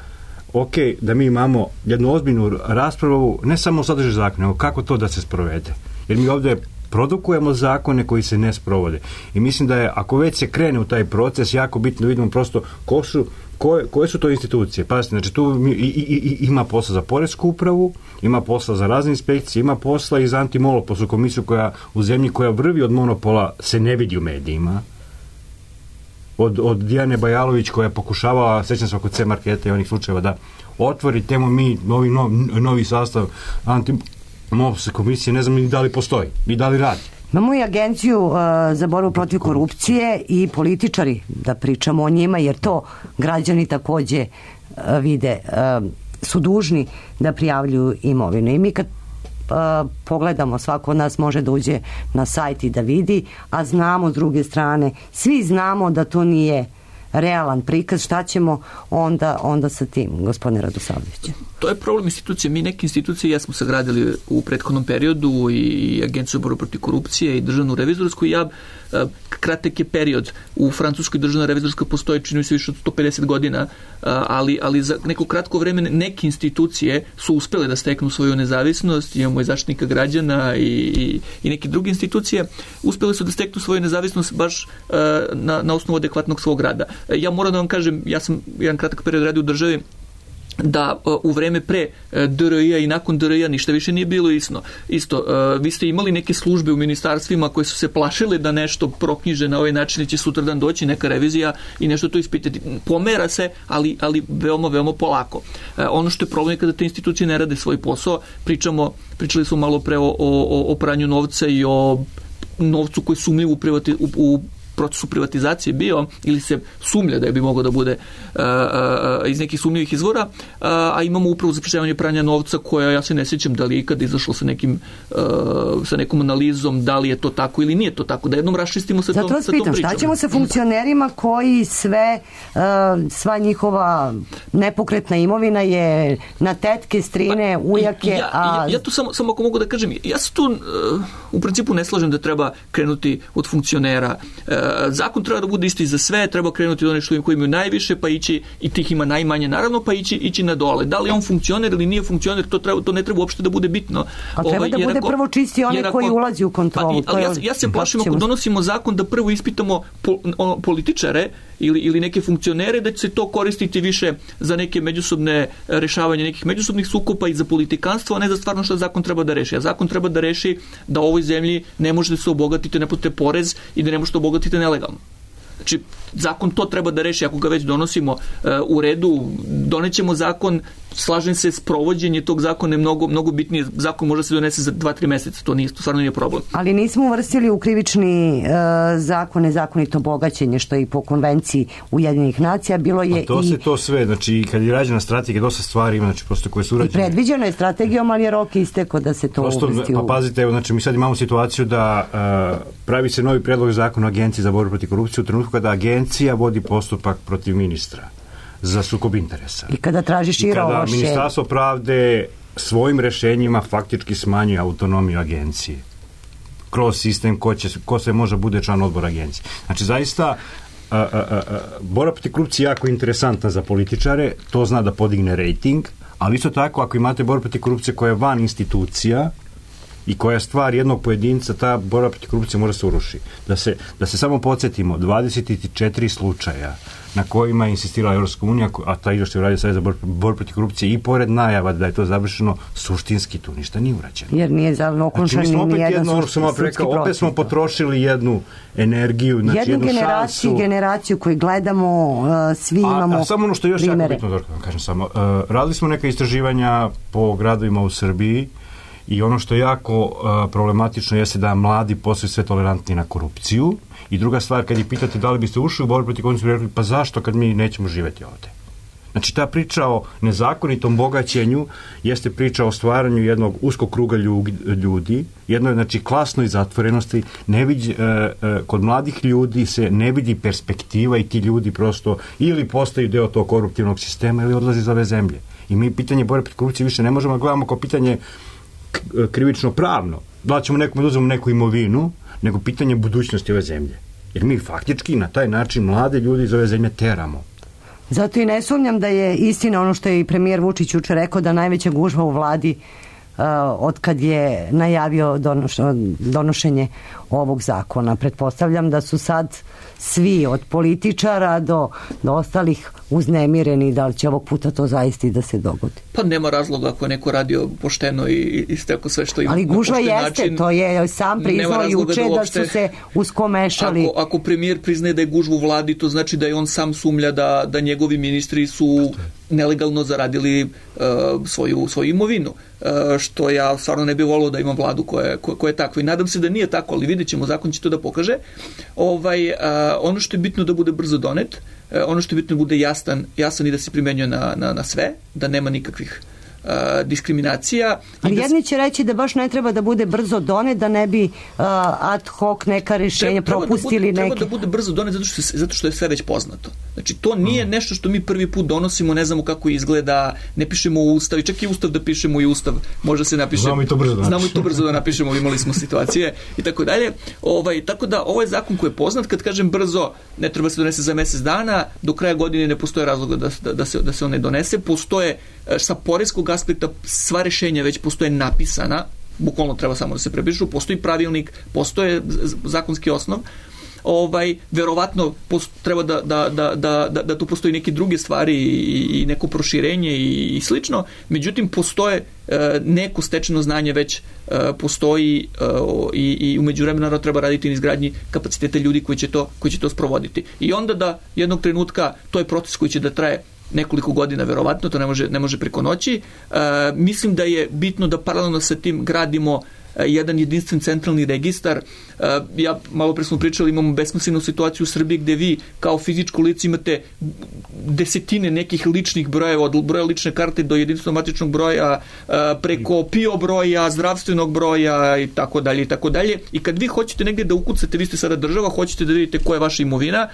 ok, da mi imamo jednu ozbiljnu raspravu, ne samo o sadržaju zakona, nego kako to da se sprovede. Jer mi ovde produkujemo zakone koji se ne sprovode. I mislim da je, ako već se krene u taj proces, jako bitno da vidimo prosto ko su Koje, koje su to institucije? Pazite, znači tu i, i, i, ima posla za poresku upravu, ima posla za razne inspekcije, ima posla i za antimonopolsku komisiju koja u zemlji koja vrvi od monopola se ne vidi u medijima. Od, od Dijane Bajalović koja je pokušavala, sećam se oko C-marketa i onih slučajeva, da otvori temu mi novi, novi, novi sastav antimonopolske komisije, ne znam ni da li postoji, ni da li radi. Imamo i agenciju uh, za borbu protiv korupcije i političari, da pričamo o njima, jer to građani takođe uh, vide, uh, su dužni da prijavljuju imovinu. I mi kad uh, pogledamo, svako od nas može da uđe na sajt i da vidi, a znamo s druge strane, svi znamo da to nije realan prikaz, šta ćemo onda, onda sa tim, gospodine Radosavljević? To je problem institucije. Mi neke institucije jesmo sagradili u prethodnom periodu, i Agenciju borbe protiv korupcije i državnu revizorsku, i ja, kratak je period. U Francuskoj državna revizorska postoji, čini se, više od sto pedeset godina, ali, ali za neko kratko vreme neke institucije su uspele da steknu svoju nezavisnost. Imamo i Zaštitnika građana i, i, i neke druge institucije uspele su da steknu svoju nezavisnost baš na, na osnovu adekvatnog svog rada. Ja moram da vam kažem, ja sam jedan kratak period radio u državi, da u vreme pre D R I-a i nakon D R I-a ništa više nije bilo isto. Isto, vi ste imali neke službe u ministarstvima koje su se plašile da nešto proknjiže na ovaj način i će sutradan doći neka revizija i nešto to ispitati. Pomera se, ali, ali veoma, veoma polako. Ono što je problem je kada te institucije ne rade svoj posao. Pričamo, pričali smo malo pre o, o, o pranju novca i o novcu koji sumnjiv u, privati, u, u procesu privatizacije bio, ili se sumlja da je bi mogao da bude uh, uh, iz nekih sumnjivih izvora, uh, a imamo upravo za sprečavanje pranja novca koja, ja se ne sjećam da li je ikada izašlo sa nekim uh, sa nekom analizom da li je to tako ili nije to tako, da jednom raščistimo sa, tom, sa tom pričom. Šta ćemo sa funkcionerima koji sve uh, sva njihova nepokretna imovina je na tetke, strine, ujake, ja, a... Ja, ja tu samo, samo ako mogu da kažem, ja se tu uh, u principu ne slažem da treba krenuti od funkcionera. Uh, zakon treba da bude isti za sve, treba krenuti od onih što koji imaju najviše, pa ići, i tih ima najmanje naravno, pa ići, ići na dole. Da li on funkcioner ili nije funkcioner, to, treba, to ne treba uopšte da bude bitno. A treba ovaj, da bude ako, prvo čisti onaj ako, koji ulazi u kontrolu. Pa, ali ja, ja se plašim ako donosimo zakon da prvo ispitamo pol, on, političare ili, ili neke funkcionere, da će se to koristiti više za neke međusobne rešavanje nekih međusobnih sukoba i za politikanstvo, a ne za stvarno što zakon treba da reši. A zakon treba da reši da u ovoj zemlji ne možete se obogatiti, ne platite porez i da ne možete obogatiti nelegalno. Znači, zakon to treba da reši, ako ga već donosimo uh, u redu, donećemo zakon, slažem se, sprovođenje tog zakona je mnogo, mnogo bitnije. Zakon može se donese za dva tri meseca, to nije, to stvarno nije problem. Ali nismo uvrstili u krivični uh, zakon nezakonito bogaćenje, što je i po konvenciji Ujedinjenih nacija, bilo je a to i... se to sve, znači, kad je rađena strategija, dosta stvari ima, znači, prosto koje su urađene. I predviđeno je strategijom, ali je rok isteko da se to prosto, uvrsti u... Pa pazite, evo, znači, mi sad imamo situaciju da uh, pravi se novi predlog zakona o Agenciji za borbu protiv korupcije u trenutku kada agencija vodi postupak protiv ministra za sukob interesa. I kada traži šira ovlašćenja. I kada Ministarstvo pravde svojim rešenjima faktički smanjuje autonomiju agencije kroz sistem ko, će, ko se može bude član odbora agencije. Znači, zaista a, a, a, borba protiv korupcije je jako interesantna za političare, to zna da podigne rejting, ali isto tako ako imate borbu protiv korupcije koja je van institucija i koja je stvar jednog pojedinca, ta borba protiv korupcije mora se uruši. Da se, da se samo podsjetimo, dvadeset četiri slučaja na kojima je insistirala Evropska unija, a ta izveštaj uradio Savez za borbu protiv korupcije i pored najava da je to završeno, suštinski tu ništa nije urađeno. Jer nije okončan znači, ni jedan sudski proces. Opet smo potrošili jednu energiju, znači jednu, jednu generaciju, šansu. generaciju koju gledamo, uh, svi a, imamo a samo ono što je još primere. jako bitno, Zorka, vam kažem samo, uh, radili smo neka istraživanja po gradovima u Srbiji i ono što je jako uh, problematično jeste da mladi postaju sve tolerantni na korupciju. I druga stvar, kad ih pitate da li biste ušli u borbu protiv korupcije, rekli, pa zašto kad mi nećemo živjeti ovde? Znači, ta priča o nezakonitom bogaćenju jeste priča o stvaranju jednog uskog kruga ljudi, jednoj, znači, klasnoj zatvorenosti. Ne vidi, e, e, kod mladih ljudi se ne vidi perspektiva i ti ljudi prosto ili postaju deo tog koruptivnog sistema ili odlaze iz ove zemlje. I mi pitanje borbe protiv korupcije više ne možemo da gledamo kao pitanje krivično pravno. Da ćemo nekom da uzmemo neku imovinu, nego pitanje budućnosti ove zemlje. Jer mi faktički na taj način mlade ljudi iz ove zemlje teramo. Zato i ne sumnjam da je istina ono što je i premijer Vučić juče rekao, da najveća gužva u vladi uh, od kad je najavio donoš, donošenje ovog zakona. Pretpostavljam da su sad svi od političara do, do ostalih uznemireni da li će ovog puta to zaista i da se dogodi. Pa nema razloga ako je neko radio pošteno i, i stekao sve što ima. Ali gužva jeste, način, to je sam priznao juče da, da su se uskomešali. Ako, ako premijer priznaje da je gužva u vladi, to znači da je on sam sumlja da, da njegovi ministri su nelegalno zaradili uh, svoju, svoju imovinu. Uh, što ja stvarno ne bih volio da imam vladu koja je, koja je takva. I nadam se da nije tako, ali vidjet ćemo, zakon će to da pokaže. Ovaj, uh, ono što je bitno da bude brzo donet, uh, ono što je bitno da bude jasan, jasan i da se primenjuje na, na, na sve, da nema nikakvih uh, diskriminacija. Ali da jedni će reći da baš ne treba da bude brzo donet, da ne bi uh, ad hoc neka rješenja treba, propustili treba da bude, neke. Treba da bude brzo donet zato što, zato što je sve već poznato. Znači, to nije mm. nešto što mi prvi put donosimo, ne znamo kako izgleda, ne pišemo u ustav, i čak i ustav da pišemo i ustav, može se napiše. Znamo i to brzo da Znamo i to brzo da napišemo, imali smo situacije i tako dalje. Ovaj, tako da, ovo je zakon koji je poznat, kad kažem brzo, ne treba se donese za mjesec dana, do kraja godine ne postoje razloga da, da, da, se, da se on ne donese, postoje sa poreskog aspekta sva rešenja već postoje napisana, bukvalno treba samo da se prepišu, postoji pravilnik, postoje zakonski osnov, ovaj, verovatno post, treba da, da, da, da, da, da tu postoji neke druge stvari i, i neko proširenje i, i slično, međutim postoje e, neko stečeno znanje već e, postoji e, i, i umeđu vremena treba raditi na izgradnji kapaciteta ljudi koji će to, koji će to sprovoditi. I onda da jednog trenutka, to je proces koji će da traje nekoliko godina verovatno, to ne može, ne može preko noći. E, mislim da je bitno da paralelno sa tim gradimo jedan jedinstven centralni registar. Ja, malo pre smo pričali, imamo besmislenu situaciju u Srbiji gde vi kao fizičko lice imate desetine nekih ličnih brojeva, od broja lične karte do jedinstvenog matičnog broja, preko P I O broja, zdravstvenog broja i tako dalje i tako dalje. I kad vi hoćete negdje da ukucate, vi ste sada država, hoćete da vidite koja je vaša imovina,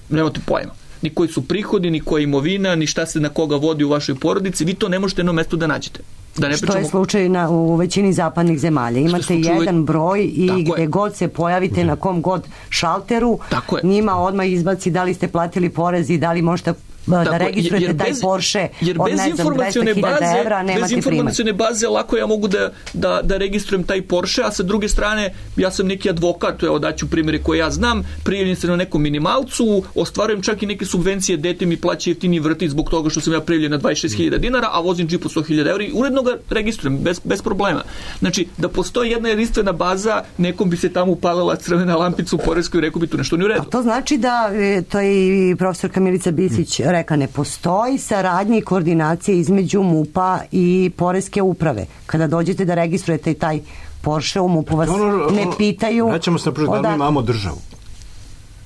nemate pojma. Ni koji su prihodi, ni koja je imovina, ni šta se na koga vodi u vašoj porodici, vi to ne možete na jedno mesto da nađete. Da ne što pričamo... je slučaj na, u većini zapadnih zemalja. Imate jedan broj i tako gde je. God se pojavite, na kom god šalteru, njima odmah izbaci da li ste platili porez i da li možete da Tako, registrujete jer taj bez- Porsche jer od, bez ne znam, informacione dvesta hiljada baze, evra, bez nemate primat. informacione baze lako ja mogu da, da, da registrujem taj Porsche, a sa druge strane ja sam neki advokat, evo daću primjere koje ja znam, prijavljam se na nekom minimalcu, ostvarujem čak i neke subvencije, dete mi plaća jeftini vrtić zbog toga što sam ja prijavljen na dvadeset šest hiljada dinara, a vozim džip od sto hiljada evra i uredno ga registrujem bez, bez problema. Znači, da postoji jedna jedinstvena baza, nekom bi se tamo upalila crvena lampica u poreskoj i rekao bi tu nešto nije u redu. A to znači da, e, to je i profesorka Milica Bisić rekla, ne postoji saradnja i koordinacija između MUP-a i poreske uprave. Kada dođete da registrujete taj Porsche, u MUP-u vas Ono- ne ono- pitaju... Vraćamo se na prvo, da li mi odakle- imamo državu?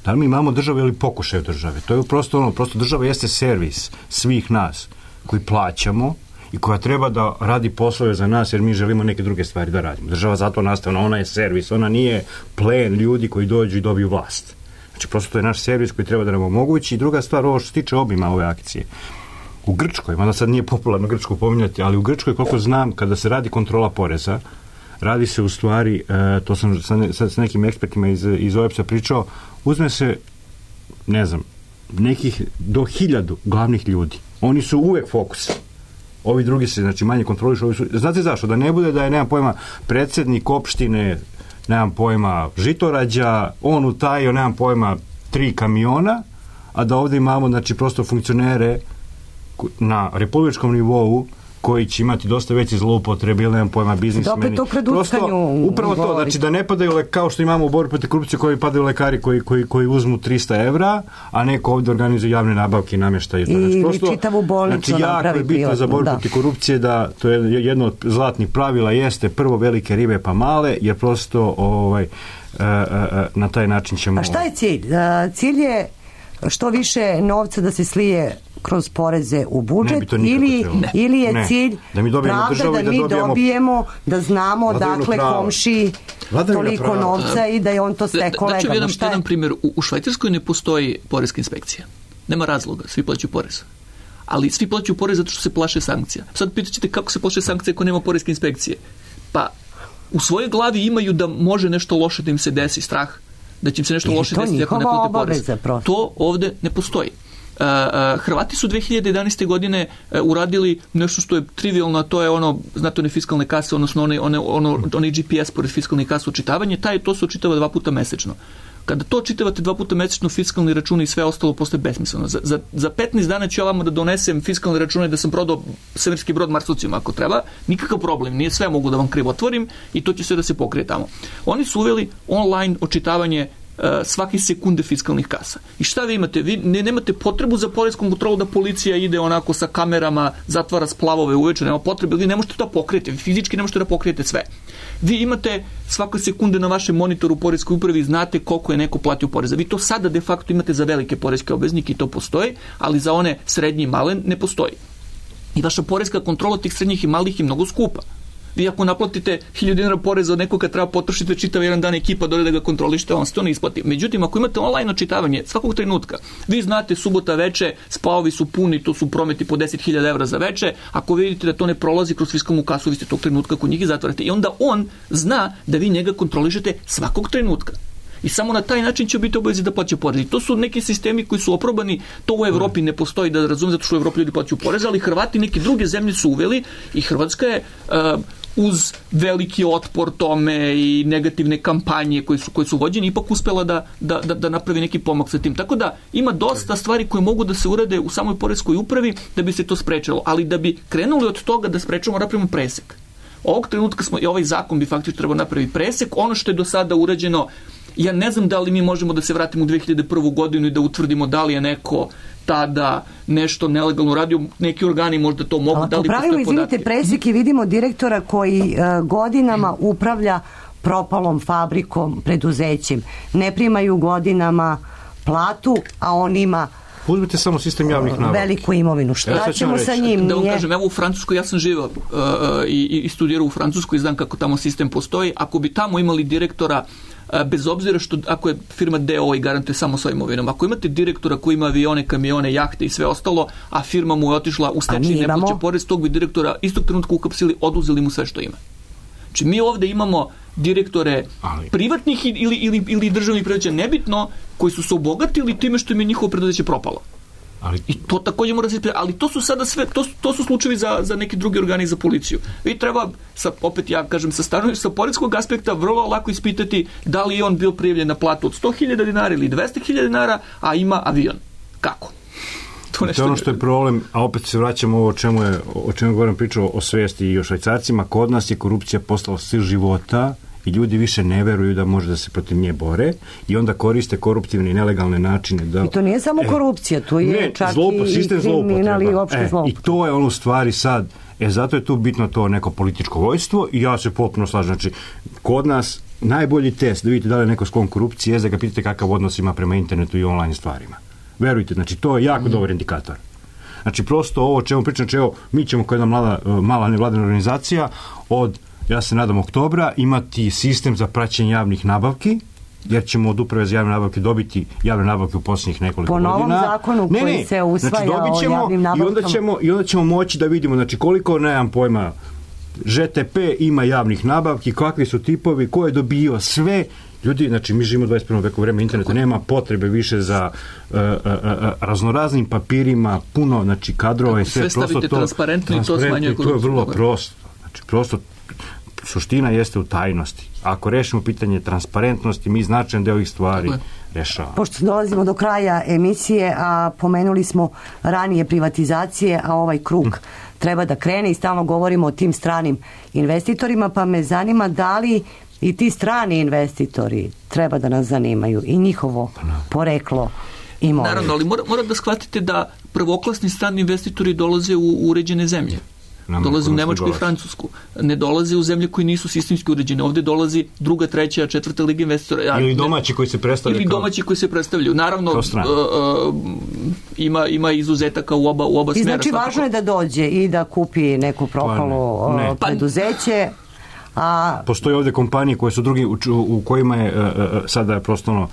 Da li mi imamo državu ili pokušaj države? To je prosto ono, prosto država jeste servis svih nas koji plaćamo i koja treba da radi poslove za nas jer mi želimo neke druge stvari da radimo. Država zato nastavno, ona je servis, ona nije plen ljudi koji dođu i dobiju vlast. Znači, prosto to je naš servis koji treba da nam omogući. I druga stvar, ovo što se tiče obima ove akcije. U Grčkoj, mada sad nije popularno Grčku pominjati, ali u Grčkoj, koliko znam, kada se radi kontrola poreza, radi se u stvari, e, to sam sa, ne, sa, sa nekim ekspertima iz, iz O E P S-a pričao, uzme se, ne znam, nekih do hiljadu glavnih ljudi. Oni su uvek fokus. Ovi drugi se, znači, manje kontrolišu. Ovi su, znate zašto? Da ne bude da je, nemam pojma, predsjednik opštine, nemam pojma, Žitorađa, on utajio, nemam pojma, tri kamiona, a da ovdje imamo, znači, prosto funkcionere na republičkom nivou koji će imati dosta veće zloupotrebe ili nemam pojma biznismeni. Opet o kredutkanju upravo to, govorite. znači da ne padaju, le- kao što imamo u borbi protiv korupcije koji padaju lekari koji, koji, koji uzmu trista evra, a neko ovdje organizuje javne nabavke i namještaju to. I Znači, čitavu bolnicu znači, jako napravi je bitno privatnu, za borbu da. protiv korupcije da to je jedno od zlatnih pravila jeste prvo velike ribe pa male, jer prosto ovaj, e, e, na taj način ćemo... A šta je cilj? A, cilj je što više novca da se slije kroz poreze u Ne budžet bi to nikako ili, trebalo. ili je Ne. cilj Da mi dobijemo pravda državu i da da mi dobijemo dobijemo, da znamo vladavinu dakle prava. komši Vladavina toliko prava. novca i da je on to stekao Da, da ću legalno. jedan, Šta je? jedan primjer. U, u Švajcarskoj ne postoji poreska inspekcija. Nema razloga, svi plaćaju porez. Ali svi plaćaju porez zato što se plaše sankcija. Sad pitaćete kako se plaše sankcije ako nema poreske inspekcije. Pa u svojoj glavi imaju da može nešto loše da im se desi, strah da će im se nešto Jer je loše to desiti ako ne njihova plate porez. obaveza prosto. To ovde ne postoji. Uh, uh, Hrvati su dve hiljade jedanaeste. godine uh, uradili nešto što je trivialno, a to je ono, znate, one fiskalne kase, odnosno one, one, ono, onaj G P S pored fiskalnih kasa očitavanje, taj, to se očitava dva puta mesečno. Kada to čitavate dva puta mesečno, fiskalni računi i sve ostalo postaje besmisleno. Za, za, za petnaest dana ću ja vama da donesem fiskalne račune da sam prodao severski brod Marsovcima ako treba, nikakav problem, nije sve mogu da vam krivo otvorim i to će sve da se pokrije tamo. Oni su uveli online očitavanje uh, svake sekunde fiskalnih kasa. I šta vi imate? Vi ne, nemate potrebu za poreskom kontrolu da policija ide onako sa kamerama, zatvara splavove uveče, nema potrebe, vi ne možete da pokrijete, vi fizički ne možete da pokrijete sve. Vi imate svake sekunde na vašem monitoru u poreskoj upravi i znate koliko je neko platio poreza. Vi to sada de facto imate za velike poreske obveznike i to postoji, ali za one srednje i male ne postoji. I vaša poreska kontrola tih srednjih i malih je mnogo skupa. Vi ako naplatite hiljadu dinara poreza od nekoga treba potrošite čitav jedan dan ekipa dole da ga kontrolište, on se to ne isplati. Međutim, ako imate online očitavanje svakog trenutka, vi znate subota veče, spavovi su puni, to su prometi po deset hiljada evra za veče, ako vidite da to ne prolazi kroz fiskalnu kasu, vi ste tog trenutka kod njih i zatvarate. I onda on zna da vi njega kontrolišete svakog trenutka. I samo na taj način će biti obavezi da plaća porez. I to su neki sistemi koji su oprobani, to u Evropi ne postoji, da razumem, zato što u Evropi ljudi plaćaju porez, ali Hrvati neke druge zemlje su uveli i Hrvatska je uh, uz veliki otpor tome i negativne kampanje koje su, koje su vođene, ipak uspela da, da, da, da napravi neki pomak sa tim. Tako da ima dosta stvari koje mogu da se urade u samoj poreskoj upravi da bi se to sprečilo, ali da bi krenuli od toga da sprečimo, napravimo presek. Ovog trenutka smo, i ovaj zakon bi faktički trebao napraviti presek, ono što je do sada urađeno, ja ne znam da li mi možemo da se vratimo u dve hiljade prvu. godinu i da utvrdimo da li je neko tada nešto nelegalno radio, neki organi možda to mogu, Ali da li po pravilu, postoje podatke. izvinite, presek i vidimo direktora koji uh, godinama upravlja propalom fabrikom, preduzećem. Ne primaju godinama platu, a on ima Uzmite samo sistem javnih nabavki. veliku imovinu. Šta ćemo sa njim? Da vam Nije... kažem, evo u Francuskoj, ja sam živao uh, i, i studirao u Francuskoj i znam kako tamo sistem postoji. Ako bi tamo imali direktora, uh, bez obzira što ako je firma D O O i garantuje samo svojim imovinom, ako imate direktora koji ima avione, kamione, jahte i sve ostalo, a firma mu je otišla u stečaj i ne plaća porez, tog bi direktora istog trenutka uhapsili, oduzeli mu sve što ima. Znači mi ovde imamo direktore ali. privatnih ili, ili, ili državnih preduzeća, nebitno, koji su se obogatili time što im je njihovo preduzeće propalo. Ali, I to takođe mora se ispitati, ali to su sada sve, to, to su slučajevi za, za neki drugi organi za policiju. Vi treba, sa, opet ja kažem, sa stanovišta, sa poreskog aspekta vrlo lako ispitati da li je on bio prijavljen na platu od sto hiljada dinara ili dvesta hiljada dinara, a ima avion. Kako? To, to je ono što je problem, a opet se vraćamo ovo o čemu je, o čemu govorim pričao o svesti i o Švajcarcima. Kod nas je korupcija postala stil života i ljudi više ne veruju da može da se protiv nje bore i onda koriste koruptivne i nelegalne načine. Da, I to nije samo korupcija, to je ne, čak zloupo, i kriminal i opšte e, zloupotreba. I to je ono u stvari sad, e, zato je tu bitno to neko političko vojstvo i ja se potpuno slažem. Znači, kod nas najbolji test da vidite da li je neko sklon korupcije je da ga pitate kakav odnos ima prema internetu i online stvarima. Verujte, znači to je jako mm. dobar indikator. Znači prosto ovo o čemu pričam, znači evo, mi ćemo kao jedna mlada, mala nevladina organizacija od, ja se nadam, oktobra imati sistem za praćenje javnih nabavki, jer ćemo od uprave za javne nabavke dobiti javne nabavke u posljednjih nekoliko godina. Po novom godina. zakonu ne, koji ne, se usvaja znači, o javnim nabavkama. I onda, ćemo, I onda ćemo moći da vidimo, znači koliko, nemam pojma, Ž T P ima javnih nabavki, kakvi su tipovi, ko je dobio sve. Ljudi, znači mi živimo u dvadeset prvom veku, vreme interneta, nema potrebe više za uh, uh, uh, raznoraznim papirima, puno, znači kadrova i sve. Sve stavite to, transparentno i to smanjuje korupciju. To je vrlo prosto. Znači prosto suština jeste u tajnosti. Ako rešimo pitanje transparentnosti, mi značajan deo ovih stvari rešavamo. Pošto dolazimo do kraja emisije, a pomenuli smo ranije privatizacije, a ovaj krug hm. treba da krene i stalno govorimo o tim stranim investitorima, pa me zanima da li i ti strani investitori treba da nas zanimaju i njihovo poreklo imovine. Naravno, ali mora, mora da shvatite da prvoklasni strani investitori dolaze u uređene zemlje. Dolaze u Nemačku i Francusku. Ne dolaze u zemlje koji nisu sistemski uređene. Ovde dolazi druga, treća, četvrta liga investitora. Ja, ili domaći koji se predstavljaju. Ili domaći koji se predstavljaju. Naravno, uh, uh, ima, ima izuzetaka u oba, u oba I smjera. znači svakako. Važno je da dođe i da kupi neku propalo ne, ne. preduzeće. A... Postoje ovdje kompanije koje su drugi, u, u kojima je uh, sada prosto ono,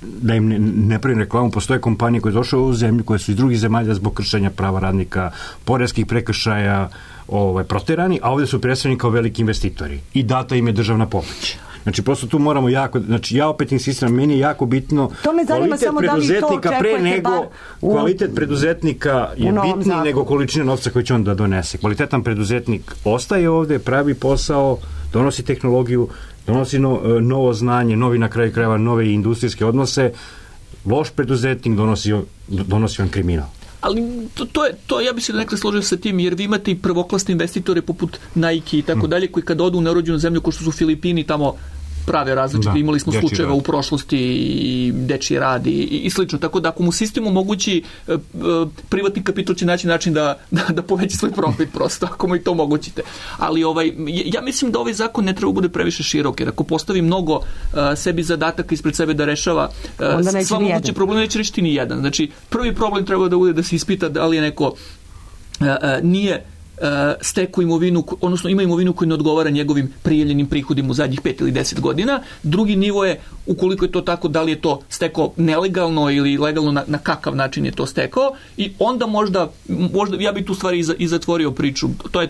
da im ne, ne pravim reklamu, postoje kompanije koje su došle u zemlju, koje su iz drugih zemalja zbog kršenja prava radnika, poreskih prekršaja ovaj, proterani, a ovdje su predstavljeni kao veliki investitori i data im je državna pomoć. Znači, prosto tu moramo jako, znači ja opet insistiram, meni je jako bitno to me zanima kvalitet samo preduzetnika da pre nego, u, kvalitet preduzetnika je bitniji zakonu. Nego količina novca koju će on da donese. Kvalitetan preduzetnik ostaje ovde, pravi posao, donosi tehnologiju, donosi no, novo znanje, novi na kraju krajeva, nove industrijske odnose. Loš preduzetnik donosi, donosi on kriminal. Ali to, to je, to ja bih se nekada složio sa tim, jer vi imate i prvoklasne investitore poput Nike i tako dalje, koji kada odu u nerođenu zemlju, kao što su Filipini, tamo prave različite, da, imali smo slučajeva u prošlosti i dečiji rad i, i slično, tako da ako mu sistem omogući e, e, privatni kapital će naći način da, da, da poveća svoj profit prosto, ako mu i to omogućite. Ali ovaj, ja mislim da ovaj zakon ne treba bude previše širok, jer ako postavi mnogo e, sebi zadataka ispred sebe da rešava e, sva moguće probleme, neće rešiti ni jedan. Znači, prvi problem treba da bude da se ispita da li je neko e, e, nije steku imovinu, odnosno ima imovinu koja ne odgovara njegovim prijavljenim prihodima u zadnjih pet ili deset godina. Drugi nivo je, ukoliko je to tako, da li je to stekao nelegalno ili legalno, na, na kakav način je to stekao, i onda možda, možda ja bi tu stvari i zatvorio priču. To je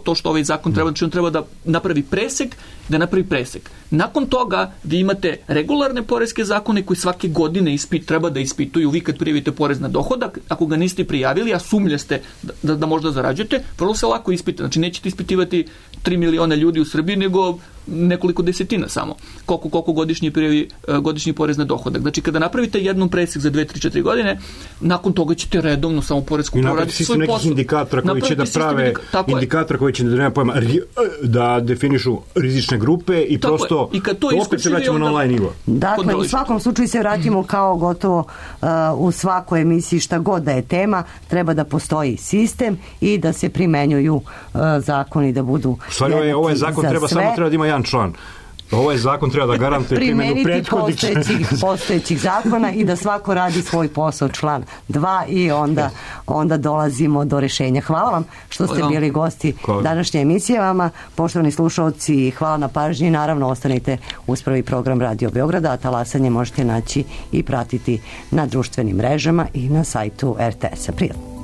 to što ovaj zakon treba, znači on treba da napravi presek, da napravi presek. Nakon toga vi imate regularne poreske zakone koji svake godine ispit, treba da ispituju. Vi kad prijavite porez na dohodak, ako ga niste prijavili, a sumnjaste da, da, da možda zarađujete, vrlo se lako ispita. Znači nećete ispitivati tri miliona ljudi u Srbiji, nego nekoliko desetina samo. Koliko, koliko godišnji prijavi, godišnji porez na dohodak. Znači kada napravite jednom presek za dve, tri, četiri godine, nakon toga ćete redovno samo poresku proraditi svoj posao. Indikatora koji će da prave indikatora koji će da nema pojma da definišu rizične grupe i tako prosto i kad to, to opet se vraćamo na online nivo. Dakle, u svakom slučaju se vratimo kao gotovo uh, u svakoj emisiji, šta god da je tema, treba da postoji sistem i da se primenjuju uh, zakoni, da budu u stvari ovaj, ovaj zakon treba sve. Samo treba da ima jedan član. Ovaj zakon treba da garantuje primjenu prethodnih postojećih, postojećih zakona i da svako radi svoj posao, član dva, i onda, onda dolazimo do rešenja. Hvala vam što ste bili gosti današnje emisije vama. Poštovani slušalci, hvala na pažnji. Naravno, ostanite uz prvi program Radio Beograda, a talasanje možete naći i pratiti na društvenim mrežama i na sajtu er te es-a. Prijatno.